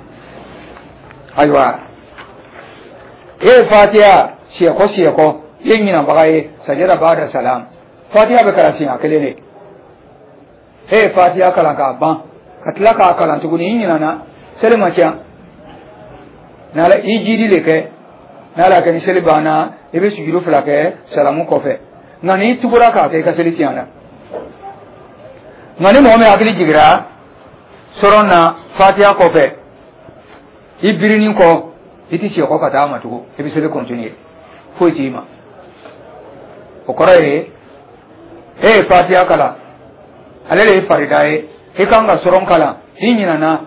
ayiwa, e ye fatiya siyɛkɔ siyɛkɔ, i ye ɲinabaga ye, sajada ba'da salam. Fatiya bɛ kalan siɲɛ kelen de. E ye fatiya kalan k'a ban, ka tila k'a kalan tuguni, i ɲinana, seli ma tiɲɛ. N'Ala i jidi de kɛ, n'Ala kɛ ni seli banna, i bɛ sujudu fila kɛ salamu kɔfɛ. Nka n'i tugura k'a kɛ, i ka seli tiɲɛna. Nka ni mɔgɔ min hakili jigira sɔrɔ na fatiya kɔfɛ, i birinin kɔ, i ti siyɛkɔ ka taa ma tugun, i bɛ seli continuer, foyi t'i ma. O kɔrɔ ye, e ye fatiya kalan, ale de ye farida ye, i kan ka sɔrɔn kalan, i ɲinana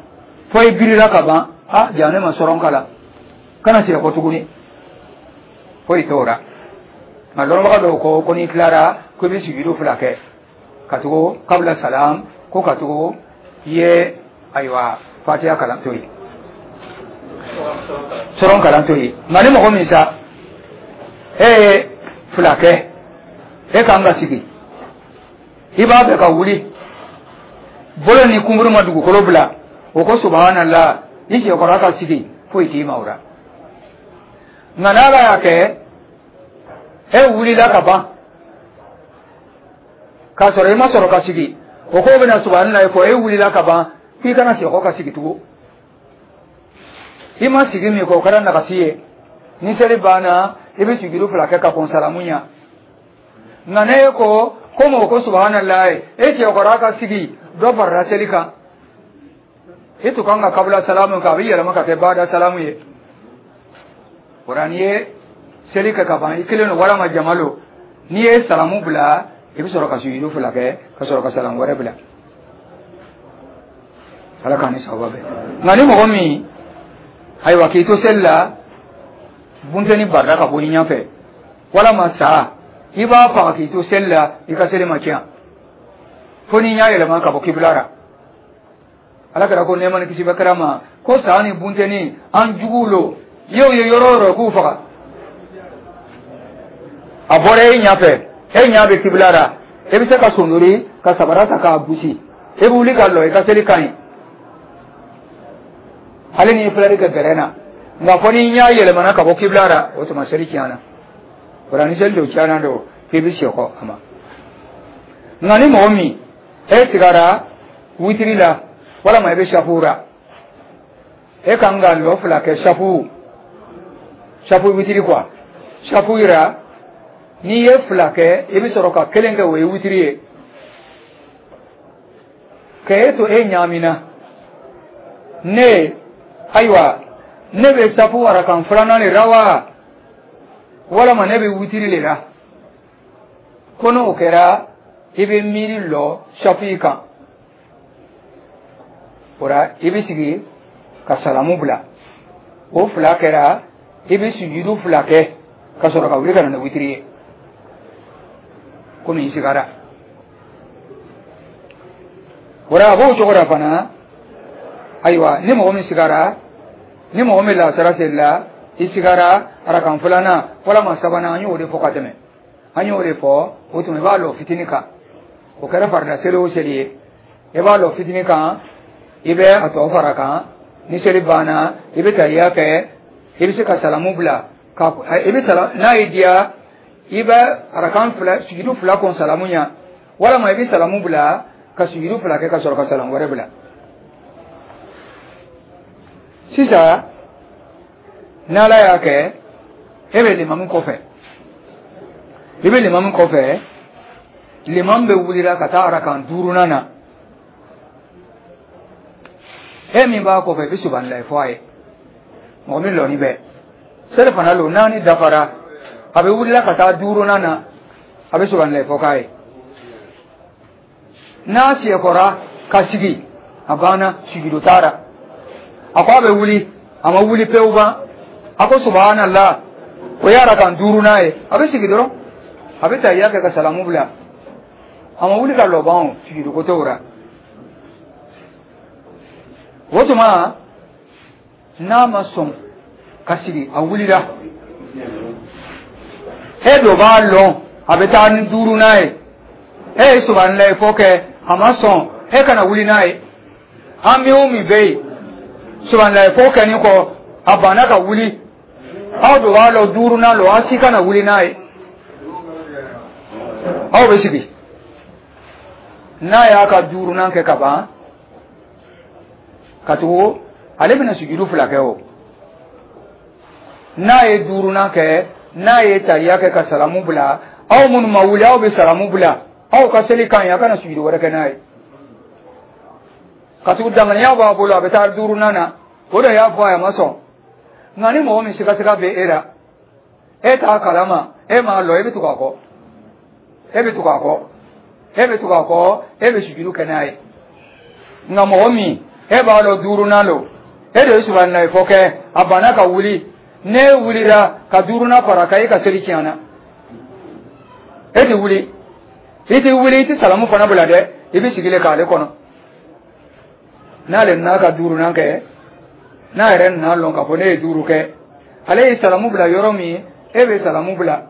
fo i birila ka ban: "A ja, ne ma sɔrɔn kalan." Kana siyɛkɔ tuguni, foyi t'o la. Nka dɔnbaga dɔw ko ko n'i tilara, ko i bɛ sujudu fila kɛ ka tugu kabila salam, ko ka tugu i ye, ayiwa, fatiya kalan to yen, sɔrɔn kalan to yen. Nka ni mɔgɔ min sa, e ye fila kɛ, e kan ka sigi, i b'a fɛ ka wuli, bolo ni kunburu ma dugukolo bila, o ko subhanallah, i siyɛkɔrɔ ka sigi, foyi t'i ma o la. Nka n'Ala y'a kɛ e wulila ka ban k'a sɔrɔ i ma sɔrɔ ka sigi, o ko bɛna subhanallah fɔ, e wulila ka ban, k'i kana siyɛkɔ ka sigi tugun, i ma sigi min kɔ, o kɛra nagasi ye. Ni seli banna, i bɛ sujudu fila kɛ ka kɔn salamu ɲɛ. Nka ne ko ko mɔgɔ ko subhanallah, e cɛkɔrɔba ka sigi, dɔ farala seli kan, i tun kan ka kabila salamu kan, a bɛ yɛlɛma ka kɛ bada salamu ye. O la, n'i ye seli kɛ ka ban, i kelen don walama jama don, n'i ye salamu bila, i bɛ sɔrɔ ka sujudu fila kɛ ka sɔrɔ ka salamu wɛrɛ bila. Ala k'an ni sababa bɛn. Nka ni mɔgɔ min, ayiwa, k'i to seli la, bunteni barila ka bɔ i ɲɛfɛ walama sa, i b'a faga k'i to seli la, i ka seli ma tiɲɛ fo n'i ɲa yɛlɛma ka bɔ kibila ra. Ala kɛra ko, nɛɛma ni kisi bɛ kɛra ma, ko sa ni bunteni an juguw lo, i y'o ye yɔrɔ o yɔrɔ, k'u faga. A bɔra e ɲɛfɛ, e ɲɛ bɛ kibila ra, e bɛ se ka sondori ka sabara ta k'a gosi, e bɛ wuli ka lɔ, i ka seli ka ɲi, hali n'i filɛli kɛ gɛrɛ na. Nka fɔ n'i ɲɛ yɛlɛmana ka bɔ kibila ra, o tuma seli tiɲɛna. O la, ni seli don tiɲɛna don, k'i bɛ sekɔ a ma. Nka ni mɔgɔ min e sigara witiri la walama i bɛ safu ra, e kan ka lɔ fila kɛ safu, safu witiri quoi, safu yira, n'i ye fila kɛ, i bɛ sɔrɔ ka kelen kɛ, o ye witiri ye. Ka e to e ɲaamina, ne ayiwa, ne bɛ safu arakan filanan de ra wa, walama ne bɛ witiri de la? Ko n'o kɛra, i bɛ miiri lɔ safu kan. O la, i bɛ sigi ka salamu bila. O fila kɛra, i bɛ sujudu fila kɛ ka sɔrɔ ka wuli ka na ni witiri ye, komi i sigara. O la, a b'o cogo la fana. Ayiwa, ni mɔgɔ min sigara, ni mɔgɔ min lasara seli la, i sigara arakan filanan walama sabanan, an y'o de fɔ ka tɛmɛ, an y'o de fɔ. O tuma, i b'a lɔ fitinin kan. O kɛra farida seli o seli ye, i b'a lɔ fitinin kan, i bɛ a tɔ fara kan. Ni seli banna, i bɛ tariya kɛ, i bɛ se ka salamu bila ka i bɛ sala. N'a y'i diya, i bɛ arakan fila sujudu fila kɔn salamu ɲɛ, walama i bɛ salamu bila ka sujudu fila kɛ ka sɔrɔ ka salamu wɛrɛ bila. Sisan, n'Ala y'a kɛ e bɛ limamu kɔfɛ, i bɛ limamu kɔfɛ, limamu bɛ wulila ka taa arakan duurunan na, e min b'a kɔfɛ, i bɛ subahanallahi fɔ a ye. Mɔgɔ min lɔni bɛ seli fana lo, naani dafara, a bɛ wulila ka taa duurunan na, a bɛ subahanallahi fɔ k'a ye. N'a siyɛkɔra ka sigi, a banna, sujudu taara. A ko a bɛ wuli, a ma wuli pewu ban, a ko subhanallah, o ye arakan duurunan ye. A bɛ sigi dɔrɔn, a bɛ tahiya kɛ ka salamu bila. A ma wuli ka lɔ ban, o sujudu ko t'o la. O tuma, n'a ma sɔn ka sigi, a wulila, e do b'a lɔn a bɛ taa ni duurunan ye, e ye subahanallahi fɔ kɛ, a ma sɔn, e kana wuli n'a ye. An min o min bɛ yen, subahanallahi fɔ kɛni kɔ, a banna ka wuli, aw do b'a lɔn duurunan lo, aw si kana wuli n'a ye, aw bɛ sigi. N'a y'a ka duurunan kɛ ka ban, ka tugu ale bɛna sujudu fila kɛ. O n'a ye duurunan kɛ, n'a ye tariya kɛ ka salamu bila, aw minnu ma wuli, aw bɛ salamu bila, aw ka seli kan ɲi, a kana sujudu wɛrɛ kɛ n'a ye, ka tugu danganiya b'a bolo, a bɛ taa duurunan na. O de y'a fɔ a ye, a ma sɔn. Nka ni mɔgɔ min sigasiga bɛ e la, e t'a kalama, e m'a lɔ, e bɛ tugu a kɔ, e bɛ tugu a kɔ, e bɛ tugu a kɔ, e bɛ sujudu kɛ n'a ye. Nka mɔgɔ min e b'a lɔn duurunan lo, e de ye subahanallahi fɔ kɛ, a banna ka wuli, n'e wulila ka duurunan fara kan, e ka seli tiɲɛna. E tɛ wuli, i tɛ wuli, i tɛ salamu fana bila dɛ, i bɛ sigi le k'ale kɔnɔ. N'ale nana ka duurunan kɛ, n'a yɛrɛ nana lɔn k'a fɔ ne ye duuru kɛ, ale ye salamu bila yɔrɔ min, e bɛ salamu bila,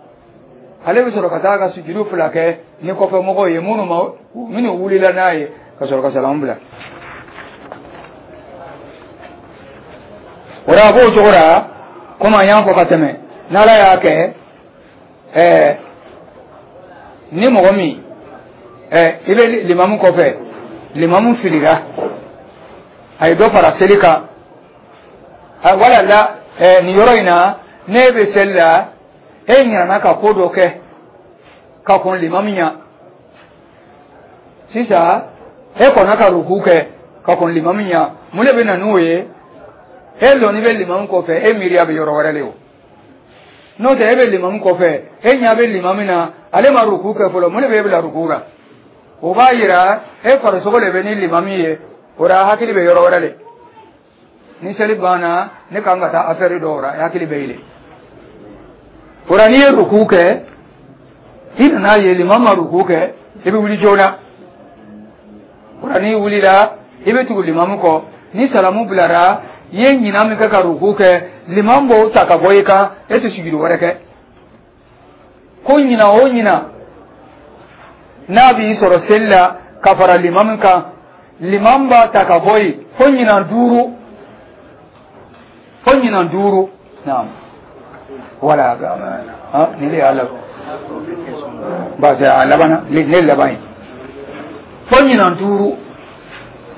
ale bɛ sɔrɔ ka taa ka sujudu fila kɛ ni kɔfɛ mɔgɔw ye minnu ma, minnu wulila n'a ye, ka sɔrɔ ka salamu bila. O la, a b'o cogo la, komi an y'a fɔ ka tɛmɛ, n'Ala y'a kɛ ni mɔgɔ min i bɛ limamu kɔfɛ, limamu filira, a ye dɔ fara seli kan, wala la nin yɔrɔ in na, n'e bɛ seli la, e ɲinɛna ka ko dɔ kɛ ka kɔn limamu ɲɛ. Sisan, e kɔnna ka ruku kɛ ka kɔn limamu ɲɛ. Mun de bɛ na n'o ye? E lɔnni bɛ limamu kɔfɛ, e miiriya bɛ yɔrɔ wɛrɛ de. O n'o tɛ, e bɛ limamu kɔfɛ, e ɲɛ bɛ limamu na, ale ma ruku kɛ fɔlɔ, mun de bɛ e bila ruku la? O b'a yira e farisogo de bɛ ni limamu ye. O la hakili bɛ yɔrɔ wɛrɛ le. Ni seli banna, ne kan ka taa affaire dɔw la, i hakili bɛ yen. O la, n'i ye ruku kɛ, i nana ye limam ma ruku kɛ, i bɛ wuli joona. O la, n'i wulila, i bɛ tugu limamu kɔ. Ni salamu bilara, i ye ɲinan min kɛ ka ruku kɛ, limam b'o ta ka bɔ i kan, e tɛ sujudu wɛrɛ kɛ. Ko ɲinan o ɲinan n'a b'i sɔrɔ seli la ka fara limamu kan, limam b'a ta ka bɔ yen fo ɲinan 5, fo ɲinan 5. Naam, wala ni le y'a laban, parce que a labanna ne laban ye fo ɲinan 5.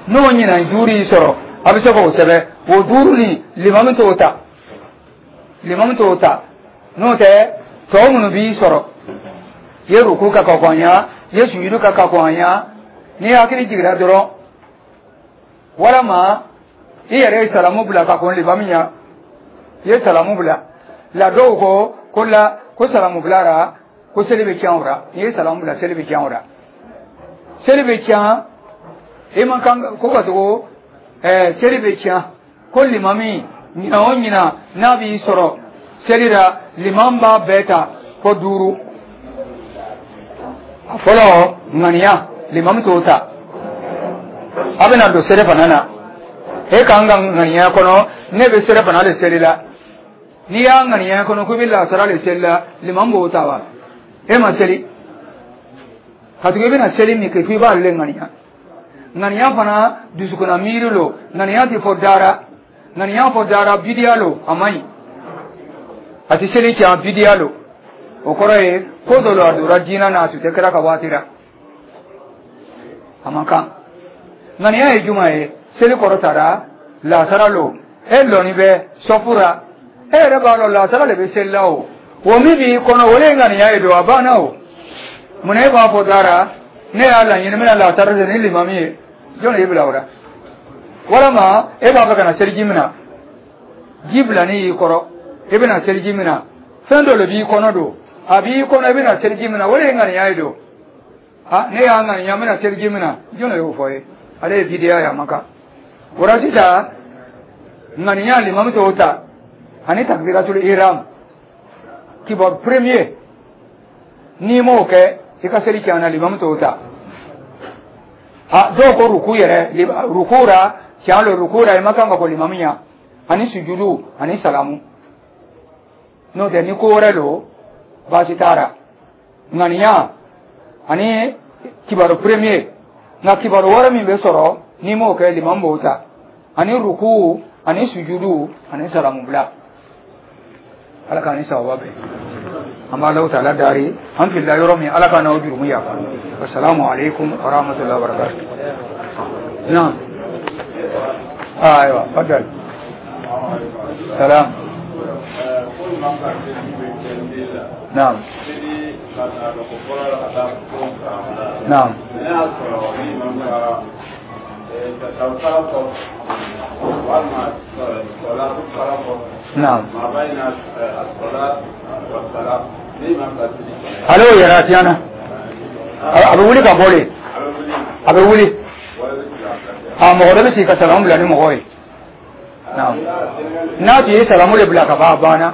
N'o ɲinan 5 y'i sɔrɔ, a bɛ se k'o sɛbɛn. O 5 nin, limamu t'o ta, limamu t'o ta. N'o tɛ, tɔ minnu b'i sɔrɔ, i ye ruku kɛ ka kɔn ɲa, i ye sujudu kɛ ka kɔn ɲa, n'i hakili jiginna dɔrɔn, walama i yɛrɛ ye salamu bila ka kɔn limamu ɲa, i ye salamu bila la. Dɔw ko la ko salamu bilara ko seli bɛ tiɲɛ o la. N'i ye salamu bila, seli bɛ tiɲɛ o la, seli bɛ tiɲɛ. I man kan ko ka tugu seli bɛ tiɲɛ. Ko limami, ɲinan o ɲinan n'a b'i sɔrɔ seli la, limam b'a bɛɛ ta fo 5. A fɔlɔ, ŋaniya, limami t'o ta. A bɛna don seli fana na, e kan ka ŋaniya kɔnɔ ne bɛ seli fana de seli la. N'i y'a ŋaniya kɔnɔ ko i bɛ lasara de seli la, limam b'o ta wa? E ma seli ka tugu i bɛna seli min kɛ, f'i b'ale ŋaniya. Ŋaniya fana, dusukunna miiri lo. Ŋaniya tɛ fɔ dara. Ŋaniya fɔ dara, bidiya lo, a man ɲi, a tɛ seli tiɲɛ, bidiya lo. O kɔrɔ ye ko dɔ lo, a donna diinɛ na, a tun tɛ kɛra ka waati la, a man kan. Ŋaniya ye juma ye? Seli kɔrɔ tara lasara lo, e lɔni bɛ sɔfu la, e yɛrɛ b'a dɔn lasara de bɛ seli la. O min b'i kɔnɔ, o de ye ŋaniya ye don, a banna. O munna e b'a fɔ dara ne y'a laɲini n bɛna lasara de ni limami ye? Jɔn de y'i bila o la? Walama e b'a fɛ ka na seliji minɛ, ji bilani y'i kɔrɔ, i bɛna seliji minɛ, fɛn dɔ de b'i kɔnɔ don, a b'i kɔnɔ, i bɛna seliji minɛ, o de ye ŋaniya ye don. A ne y'a ŋaniya n bɛna seliji minɛ, jɔn de y'o fɔ ye? Ale ye bidiya ye, a ma kan. O la sisan, ŋaniya, limami t'o ta, ani takbiratul ihram, kibaru premier, n'i m'o kɛ, i ka seli tiɲɛna, limami t'o ta. A dɔw ko ruku yɛrɛ, ruku la, tiɲɛ lo, ruku la, i ma kan ka kɔ limami ɲa, ani sujudu ani salamu. N'o tɛ, ni ko wɛrɛ lo, baasi t'a la. Ŋaniya ani kibaru premier. Nka kibaru wɛrɛ min bɛ sɔrɔ, n'i m'o kɛ, limami b'o ta, ani ruku ani sujudu ani salamu bila. Ala k'an ni sababa bɛn. An b'a Alahu taala dari, an filila yɔrɔ min, Ala k'an n'aw jurumu yafa. Wasalamu alaikum wa rahmatullahi wa barakatuh. Naam, ayiwa, fadal. Salam. Naam, naam. Naam. Ale y'o yɛrɛ a tiɲɛna, a bɛ wuli ka bɔ de, a bɛ wuli, a mɔgɔ dɔ bɛ sigi ka salamu bila ni mɔgɔ ye. Naam, n'a tun ye salamu de bila ka ban, a banna.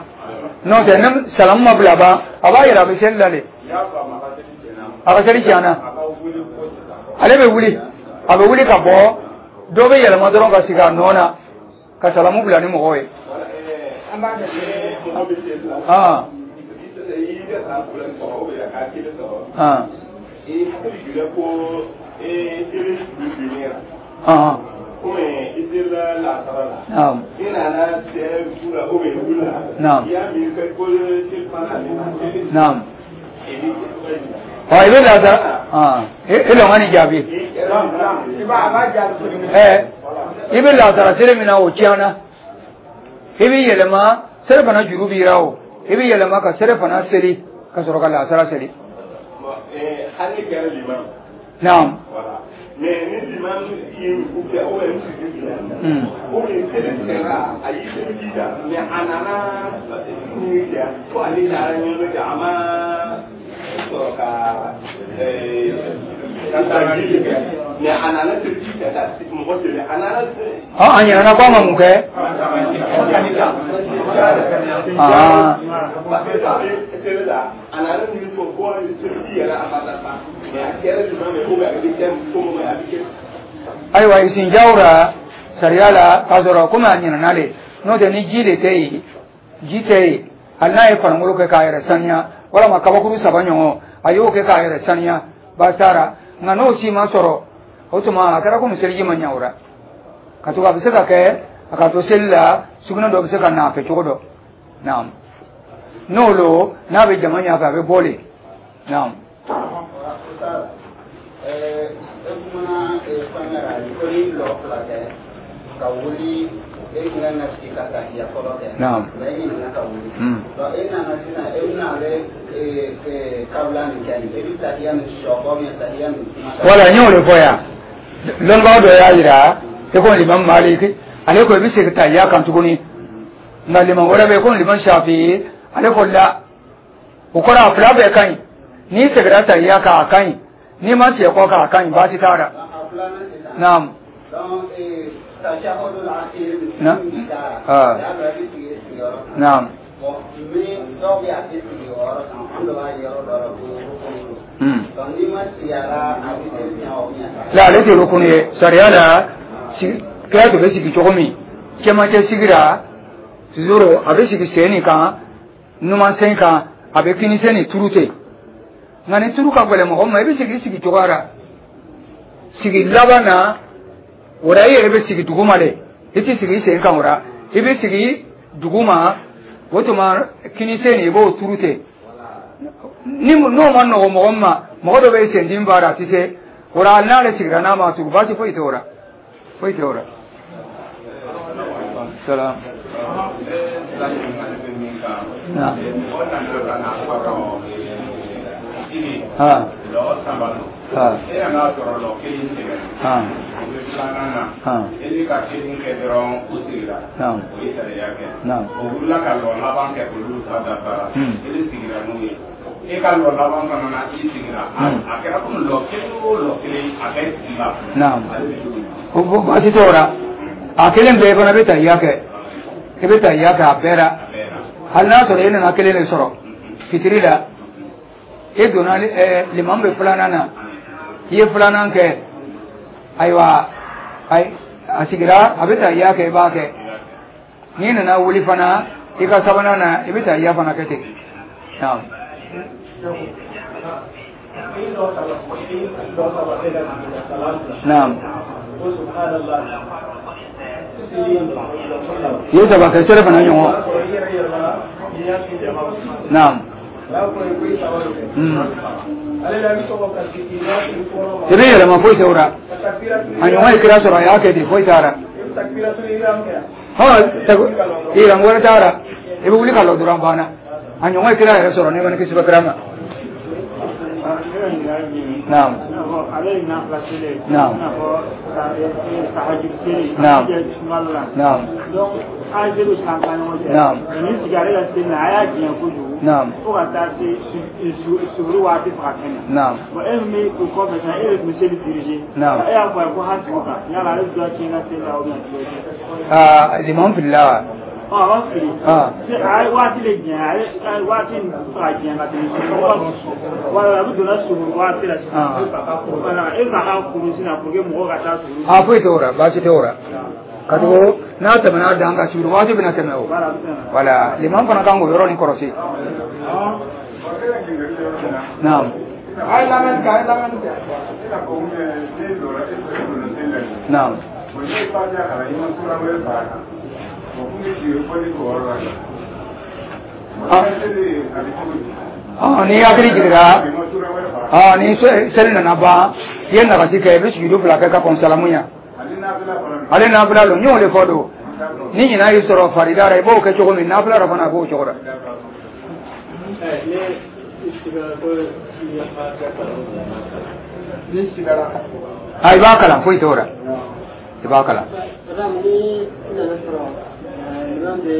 N'o tɛ, ni salamu ma bila ban, a b'a yɛrɛ a bɛ seli la de, a ka seli tiɲɛna. Ale bɛ wuli, a bɛ wuli ka bɔ, dɔ bɛ yɛlɛma dɔrɔn ka sigi a nɔ na ka salamu bila ni mɔgɔw ye. Ah. Ah. Ah. Naam. Naam. Naam. Ɔ, i bɛ lasara e lɔn ka nin jaabi. I bɛ lasara seli min na, o tiɲɛna, i bɛ yɛlɛma, seli fana juru b'i ra. O i bɛ yɛlɛma ka seli fana seli ka sɔrɔ ka lasara seli. Naam. Mais ni limam ye ruku kɛ ou bien sujud kɛ, ou bien seli tigɛra, a y'i seli jija, mais a nana min kɛ fo ale taara ɲɛnamɛ kɛ, a ma sɔrɔ ka taa jili kɛ. Mais a nana seliji ta ka mɔgɔ seli, a nana. A ɲinɛna ko a ma mun kɛ? Parce que a bɛ seli la, a nana min fɔ ko seliji yɛrɛ a ma dafa, mais a kɛra jumɛn ye, ou bien a bɛ kɛ cogo min, a bɛ kɛ. Ayiwa, isinjaw ra sariya la, k'a sɔrɔ komi a ɲinɛna le, n'o tɛ ni ji de tɛ yen, ji tɛ yen, hali n'a ye farinkolo kɛ k'a yɛrɛ saniya, walama kabakuru saba ɲɔgɔn a y'o kɛ k'a yɛrɛ saniya, baasi t'a ra. Nka n'o si ma sɔrɔ, o tuma a kɛra komi seliji ma ɲɛ o la, ka tugu a bɛ se ka kɛ a ka to seli la, sugunɛ dɔ bɛ se ka na a fɛ cogo dɔ. Naam, n'o lo, n'a bɛ jama ɲɛfɛ, a bɛ bɔ le. Naam. E kumana fɛn la ko ni lɔ fila kɛ ka wuli, e kun kan ka sigi ka tahiya fɔlɔ kɛ. Mais e ɲinɛna ka wuli. Donc e nana sisan, e bɛna ale kabila nin kɛ nin, e bɛ tahiya nin sɔ kɔ bien tahiya nin kuma. Wala, n y'o de fɔ yan. Lɔnnibaga dɔ y'a yira i ko Limam Malik, ale ko i bɛ segin tahiya kan tuguni. Nka liman wɛrɛ bɛ yen ko Limam Shafi, ale ko la, o kɔrɔ a fila bɛɛ ka ɲi. N'i seginna tahiya kan, a ka ɲi. N'i ma segin kɔ kan, a ka ɲi, baasi t'a la. Naam. Na naam. Bon, ni dɔw bɛ a tɛ sigi o yɔrɔ kan, an dɔ b'a yɔrɔ dɔ la ko rukunu don. Donc n'i ma sigi a la, a bɛ seli tiɲɛ o bien? La, ale tɛ rukunu ye sariya la. Kira tun bɛ sigi cogo min, cɛmancɛ sigira toujours, a bɛ sigi sen nin kan, numan sen kan, a bɛ kini sen nin turu ten. Nka ni turu ka gɛlɛn mɔgɔ ma, i bɛ sigi i sigi cogoya la. Sigi laban na o la, i yɛrɛ bɛ sigi duguma de, i tɛ sigi i sen kan o la, i bɛ sigi duguma. O tuma kini sen nin, i b'o turu ten. Ni n'o ma nɔgɔ mɔgɔ min ma, mɔgɔ dɔ bɛ sen dimi b'a la, a tɛ se o la, n'ale sigira n'a ma turu, baasi foyi tɛ o la, foyi tɛ o la. Salam. Naam. Ha. Ha. E nana sɔrɔ lɔ kelen tɛmɛna. O bɛ filanan na. E bɛ ka kelen kɛ dɔrɔn, o sigira. O ye sariya kɛ. O wulila ka lɔ laban kɛ, olu ta dafara. E de sigira n'o ye. E ka lɔ laban fana na, i sigira. A kɛra komi lɔ kelen o lɔ kelen, a bɛɛ sigila. Ale bɛ cogo di? O baasi t'o la. A kelen bɛɛ fana bɛ tahiya kɛ, i bɛ tahiya kɛ a bɛɛ la. A bɛɛ la. Hali n'a sɔrɔ e nana kelen de sɔrɔ fitiri la, e donna, limamu bɛ filanan na, i ye filanan kɛ, ayiwa, a sigira, a bɛ tahiya kɛ, i b'a kɛ. N'i nana wuli fana i ka sabanan na, i bɛ tahiya fana kɛ ten. Naam. Naam. I ye saba kɛ sere fana ɲɔgɔn. Naam. I bɛ yɛlɛma, foyi tɛ o la. A ɲɔgɔn ye kira sɔrɔ, a y'a kɛ ten, foyi t'a la. Hɔn, wɛrɛ t'a la, i bɛ wuli ka lɔ dɔrɔn, banna. A ɲɔgɔn ye kira yɛrɛ sɔrɔ, ne ma ni kisi bɛ kira ma. Naam. Naam. Naam. Naam. Naam. Naam. Fo ka taa se suguri waati fo ka kɛnɛ. Naam. Bon, e min bɛ o kɔfɛ sisan, e de tun bɛ seli diriger. Naam. E y'a fɔ a ye ko ha sigi o kan, yala ale dɔ tiɲɛ ka seli la ou bien cogo di? Aa, limamu filila wa? Ɔ, a b'a fili. Ah. A ye waati de jɛn, a ye waati in fɛ ka jɛn ka tɛmɛ suguri. Wala, a bɛ donna suguri waati la sisan. Wala, e bɛ ka kuru sisan pour que mɔgɔw ka taa suguri. A foyi t'o la, baasi t'o la. Ka tugu n'a tɛmɛna a dan kan, suguri waati bɛna tɛmɛ o. Wala, a bɛ tɛmɛ. Wala, limamu fana kan k'o yɔrɔ nin kɔlɔsi. Naam. A ye lamɛnni kɛ, a ye lamɛnni kɛ. Naam. Ni hakili jiginra, ni seli nana ban, i ye nagasi kɛ, i bɛ sujudu fila kɛ ka kɔn salamu ɲɛ. Ale nafila lo, n y'o de fɔ don. Ni ɲinan y'i sɔrɔ farida la, i b'o kɛ cogo min, nafila la fana a b'o cogo la. A, i b'a kalan, foyi t'o la, i b'a kalan. Ni nana sɔrɔ liman bɛ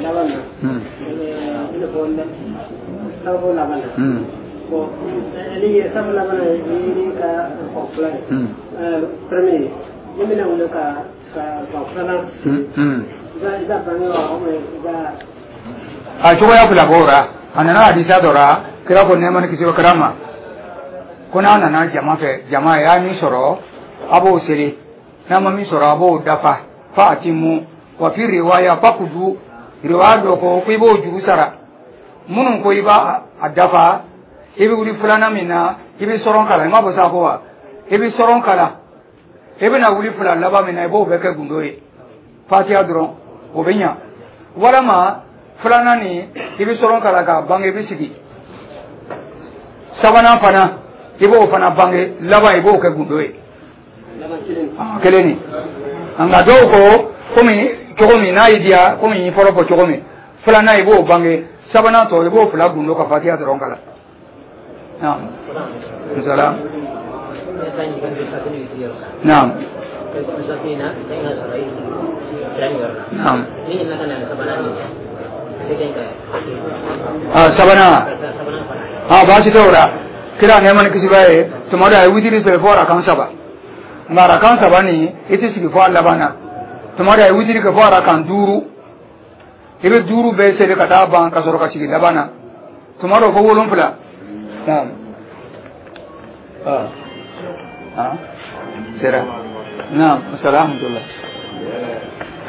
laban na, i n'a fɔ sababu laban na. Bon, ale ye sabu laban ye ka kɔ fila ye. Premier ne bɛna wele ka filanan i ka bange wa ou bien i ka. A cogoya fila b'o la. A nana hadisa dɔ la, kira ko nɛɛma ni kisi bɛ kira ma ko n'a nana jama fɛ, jama y'a min sɔrɔ, a b'o seli, n'a ma min sɔrɔ, a b'o dafa. Fa atimu wa fi riwaya fakudu. Riwaya dɔ ko i b'o juru sara. Minnu ko i b'a a dafa, i bɛ wuli filanan min na, i bɛ sɔrɔn kalan. I m'a fɔ sa ko wa i bɛ sɔrɔn kalan, i bɛna wuli fila laban min na, i b'o bɛɛ kɛ gundo ye, fatiya dɔrɔn, o bɛ ɲa. Walama filanan nin, i bɛ sɔrɔn kalan k'a bange, i bɛ sigi. Sabanan fana, i b'o fana bange, laban i b'o kɛ gundo ye, kelen nin. Nka dɔw ko komi cogo min n'a y'i diya, komi n ye fɔlɔ fɔ cogo min, filanan i b'o bange, sabanan tɔ i b'o fila gundo ka fatiya dɔrɔn kalan. Naam, salam, naam, naam. Ah, sabanan, ah, baasi t'o la. Kira nɛɛma ni kisi b'a ye, tuma dɔ a ye witiri seli fo arakan saba, nka arakan saba nin, i tɛ sigi fo a laban na. Tuma dɔ a ye witiri kɛ fo arakan duuru, i bɛ duuru bɛɛ seli ka taa ban ka sɔrɔ ka sigi laban na. Tuma dɔ fo wolonfila. Naam, ah ah, sera. Naam, salaamutullah.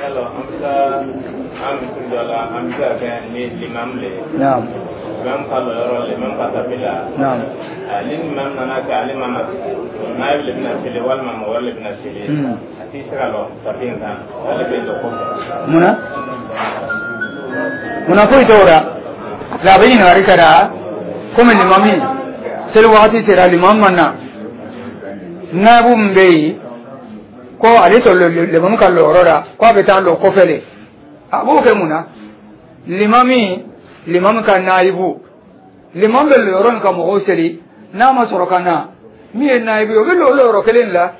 Yalo an bɛ taa an misiri dɔ la, an bɛ se ka kɛ ni limam le ye. Naam. Limam ka lɔ yɔrɔ limam ka tapi la. Naam. Ni limam nana kɛ ale ma na, naib le bɛna seli walima mɔgɔ wɛrɛ le bɛna seli. A t'i se ka lɔ tapi in kan, ale bɛ lɔ kɔfɛ. Munna? Munna foyi t'o la. La a bɛ ɲininkali kɛra komi limami seli wagati sera, limam ma na, naibu min bɛ yen ko ale tɔ limamu ka lɔyɔrɔ la, ko a bɛ taa lɔ kɔfɛ de, a b'o kɛ mun na? Limami, limamu ka naibu, limamu bɛ lɔyɔrɔ min ka mɔgɔw seli, n'a ma sɔrɔ ka na, min ye naibu ye, o bɛ lɔ lɔyɔrɔ kelen la.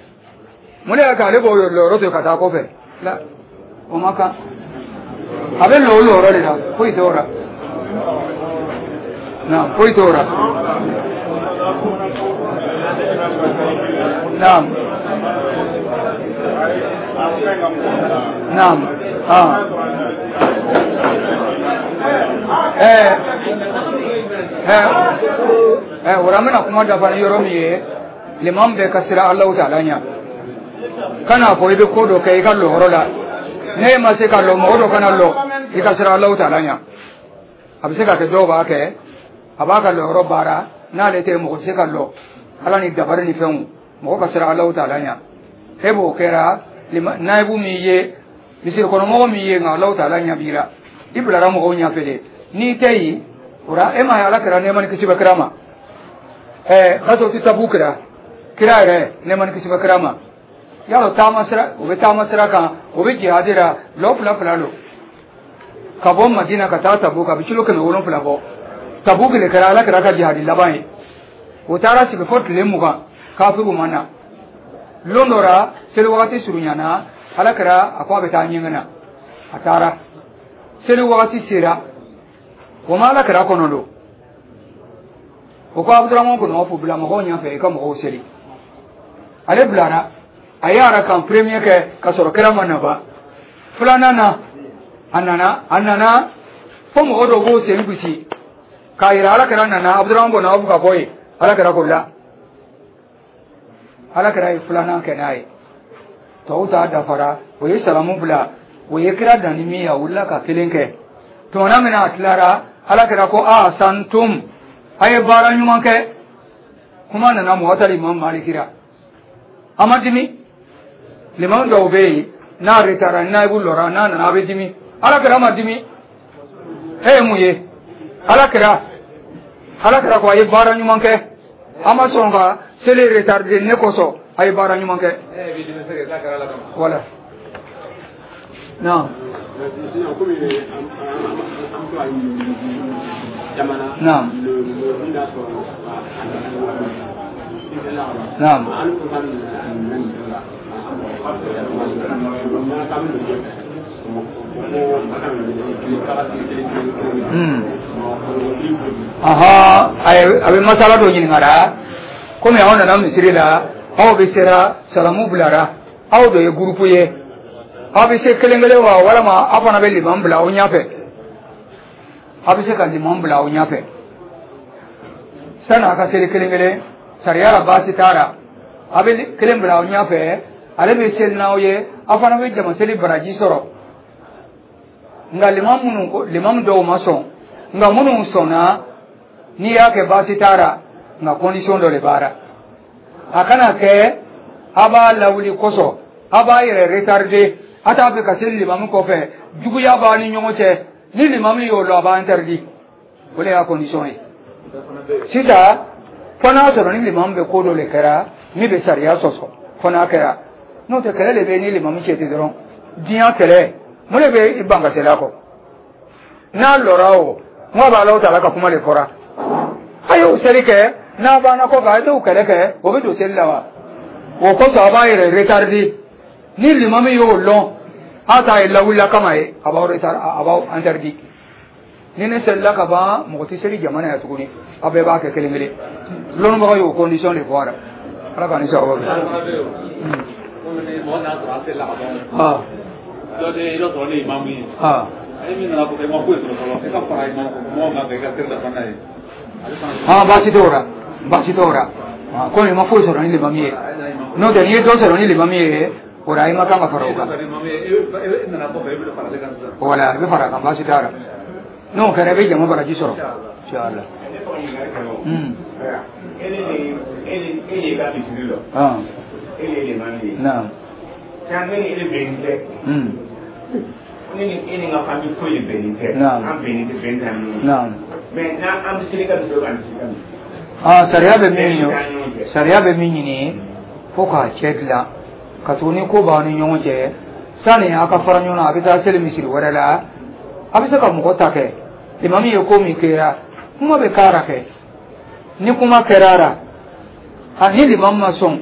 Mun de y'a kɛ ale b'o lɔyɔrɔ to yen ka taa kɔfɛ la? O ma kan, a bɛ lɔ o lɔyɔrɔ de la, foyi t'o la. Naam, foyi t'o la. Naam, naam, ah, o la an bɛna kuma dafa ni yɔrɔ min ye, limam bɛɛ ka siran Alahu taala ɲɛ. Kan'a fɔ i bɛ ko dɔ kɛ i ka lɔyɔrɔ la, n'e ma se ka lɔ, mɔgɔ dɔ kana lɔ, i ka siran Alahu taala ɲɛ. A bɛ se ka kɛ dɔw b'a kɛ, a b'a ka lɔyɔrɔ baara, n'ale tɛ, mɔgɔ tɛ se ka lɔ. Ala ni dabari ni fɛnw, mɔgɔ ka siran Alahu taala ɲɛ. E b'o kɛra naibu min ye, misiri kɔnɔmɔgɔ min ye, nka Alahu taala ɲɛ b'i la, i bilara mɔgɔw ɲɛfɛ de. N'i tɛ yen o la, e m'a ye Ala kɛra nɛɛma ni kisi bɛ kira ma, gasɔti tabu kɛra kira yɛrɛ nɛɛma ni kisi bɛ kira ma. Yalɔ taama sira, o bɛ taama sira kan, o bɛ jihadi la, lɔ fila fila don ka bɔ Madina ka taa Tabuk, a bɛ kilo 700 bɔ. Tabuk de kɛra Ala kɛra ka jihadi laban ye. O taara sigi fo tile 20, kafiriw ma na. Lon dɔ la, seli wagati surunyana, Ala kɛra a ko a bɛ taa ɲɛgɛn na. A taara, seli wagati sera, o ma Ala kɛra kɔnɔ don. O ko Abuduraman kɔnɔ fo bila mɔgɔw ɲɛfɛ, i ka mɔgɔw seli. Ale bilara, a ye arakan premier kɛ ka sɔrɔ kira ma na ban. Filanan na, a nana, a nana fo mɔgɔ dɔw b'o sen gosi k'a yira Ala kɛra nana. Abuduraman kɔnɔ aw ka bɔ yen. Ala kɛra ko la, Ala kɛra ye filanan kɛ n'a ye, tɔw ta dafara. O ye salamu bila, o ye kira dan ni min ye, a wulila ka kelen kɛ. Tumana min na a tilara, Ala kɛra ko a santum, a ye baara ɲuman kɛ. Kuma nana Muwata Imam Maliki la, a ma dimi. Limamu dɔw bɛ yen, n'a retara, naibu lɔra, n'a nana a bɛ dimi. Ala kɛra ma dimi. E ye mun ye? Ala kɛra, Ala kɛra ko a ye baara ɲuman kɛ, a ma sɔn ka seli retarder ne kosɔn, a ye baara ɲuman kɛ. Voilà. Naam. Naam. Naam. Aha, a bɛ masala dɔ ɲininkara komi aw nana misiri la, aw bɛ sera salamu bilara, aw de ye gurupu ye, aw bɛ se kelen kelen wa, walima aw fana bɛ liman bila aw ɲɛfɛ? Aw bɛ se ka liman bila aw ɲɛfɛ sani a ka seli kelen kelen. Sariya la baasi t'a la, a bɛ kelen bila aw ɲɛfɛ, ale bɛ seli n'aw ye, aw fana bɛ jama seli baraji sɔrɔ. Nka liman minnu ko, liman dɔw ma sɔn, nka minnu sɔnna, n'i y'a kɛ baasi t'a la, nka condition dɔ de b'a la. A kana kɛ a b'a lawuli kosɔn a b'a yɛrɛ retarder, a t'a fɛ ka seli limamu kɔfɛ, juguya b'a ni ɲɔgɔn cɛ. Ni limamu y'o lɔn, a b'a interdit. O de y'a condition ye. Sisan fo n'a sɔrɔ ni limamu bɛ ko dɔ de kɛra min bɛ sariya sɔsɔ, fo n'a kɛra, n'o tɛ kɛlɛ de bɛ ni limamu cɛ ten dɔrɔn. Diɲɛ kɛlɛ mun de bɛ i ban ka seli a kɔ? N'a lɔra o n ko b'a la, o t'a la ka kuma de fɔra, a y'o seli kɛ, n'a banna kɔfɛ a ye t'o kɛlɛ kɛ, o bɛ don seli la wa? O kosɔn a b'a yɛrɛ retarder. Ni limamu y'o lɔn, a t'a ye lawulila kama ye, a b'aw retard, a b'aw interdit. Ni ne selila ka ban, mɔgɔ tɛ seli jama na yan tuguni, aw bɛɛ b'a kɛ kelen kelen. Lɔnnibagaw y'o condition de fɔ a la. Ala k'an ni sababu bɛn. Baasi t'o la, baasi t'o la. Komi i ma foyi sɔrɔ ni limamu ye, n'o tɛ n'i ye dɔ sɔrɔ ni limamu ye, o la i ma kan ka fara o kan. Wala i bɛ fara a kan, baasi t'a la. N'o kɛra, i bɛ jama baraji sɔrɔ, inshallah. Naam. Ne ni e ni n ka famille foyi de bɛnnen tɛ. An bɛnnen tɛ, bɛn t'an ni ɲɔgɔn cɛ. Mais n'an an bɛ seli ka misiri, an bɛ seli ka misiri. Sariya bɛ min ɲini, sariya bɛ min ɲini fo k'a cɛ dilan, ka tugu ni ko b'aw ni ɲɔgɔn cɛ, sani a ka fara ɲɔgɔn na, a bɛ taa seli misiri wɛrɛ la, a bɛ se ka mɔgɔ ta kɛ. Limamu ye ko min kɛra, kuma bɛ k'a la kɛ. Ni kuma kɛra a la, a ni limamu ma sɔn,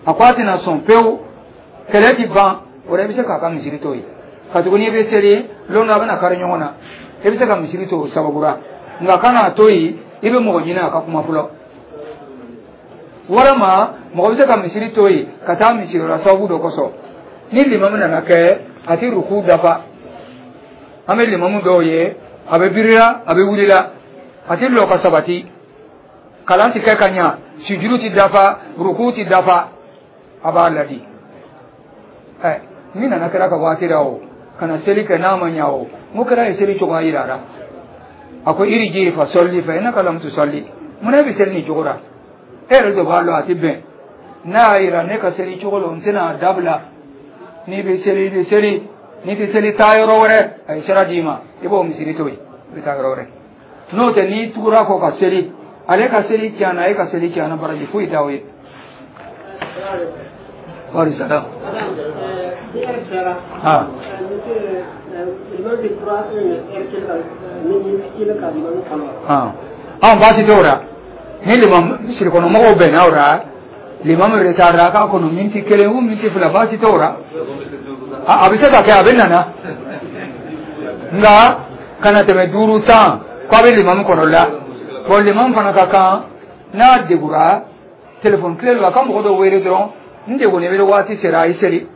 a ko a tɛna sɔn pewu, kɛlɛ ti ban, o la i bɛ se k'a ka misiri to yen. Ka tugu n'i bɛ seli lon dɔ, a bɛna kari ɲɔgɔn na, i bɛ se ka misiri to o sababu la. Nka kan'a to yen, i bɛ mɔgɔ ɲini a ka kuma fɔlɔ, walima mɔgɔ bɛ se ka misiri to yen ka taa misiri la sababu dɔ kosɔn. Ni limamu nana kɛ a ti ruku dafa, an bɛ limamu dɔw ye, a bɛ birila, a bɛ wulila, a ti lɔ ka sabati, kalan ti kɛ ka ɲa, sujuru ti dafa, ruku ti dafa, a b'a ladi. Ɛ min nana kɛra ka waati la o kana seli kɛ n'a ma ɲa o, n ko kɛra ye seli cogoya yira la. A ko iriji fa sɔli fa innaka lam tusalli. Mun e bɛ seli nin cogo la? E yɛrɛ de b'a lɔn a ti bɛn. N'a y'a yira ne ka seli cogo la, n tɛna dabila. N'i bɛ seli, i bɛ seli, n'i tɛ seli, taa yɔrɔ wɛrɛ. A ye sira d'i ma, i b'o misiri to yen, i bɛ taa yɔrɔ wɛrɛ. N'o tɛ, n'i tugura kɔ ka seli, ale ka seli tiɲɛna, e ka seli tiɲɛna, baraji foyi t'aw ye. Wali salam. An baasi t'o la. Ni limam misirikɔnɔmɔgɔw bɛnna o la, limamu retardera k'a kɔnɔ miniti 1 ou miniti 2, baasi t'o la. A bɛ se ka kɛ a bɛ nana, nka kana tɛmɛ 5 10 k'a bɛ limamu kɔnɔ la. Bon, limamu fana ka kan n'a degura telefɔni tile la, a ka mɔgɔ dɔ wele dɔrɔn, n degunnen bɛ, waati sera, a ye seli.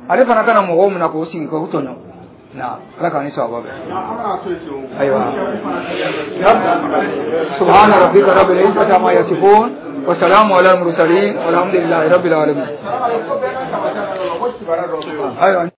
Ale fana kana mɔgɔw minɛ k'o sigi k'o tɔɲɔ. Na ala k'an ni sawaba bɛn. Ayiwa, subhana rabbika rabbil izzati amma yasifun wa salamu ala al mursalin walhamdulillahi rabbil alamin. Ayiwa.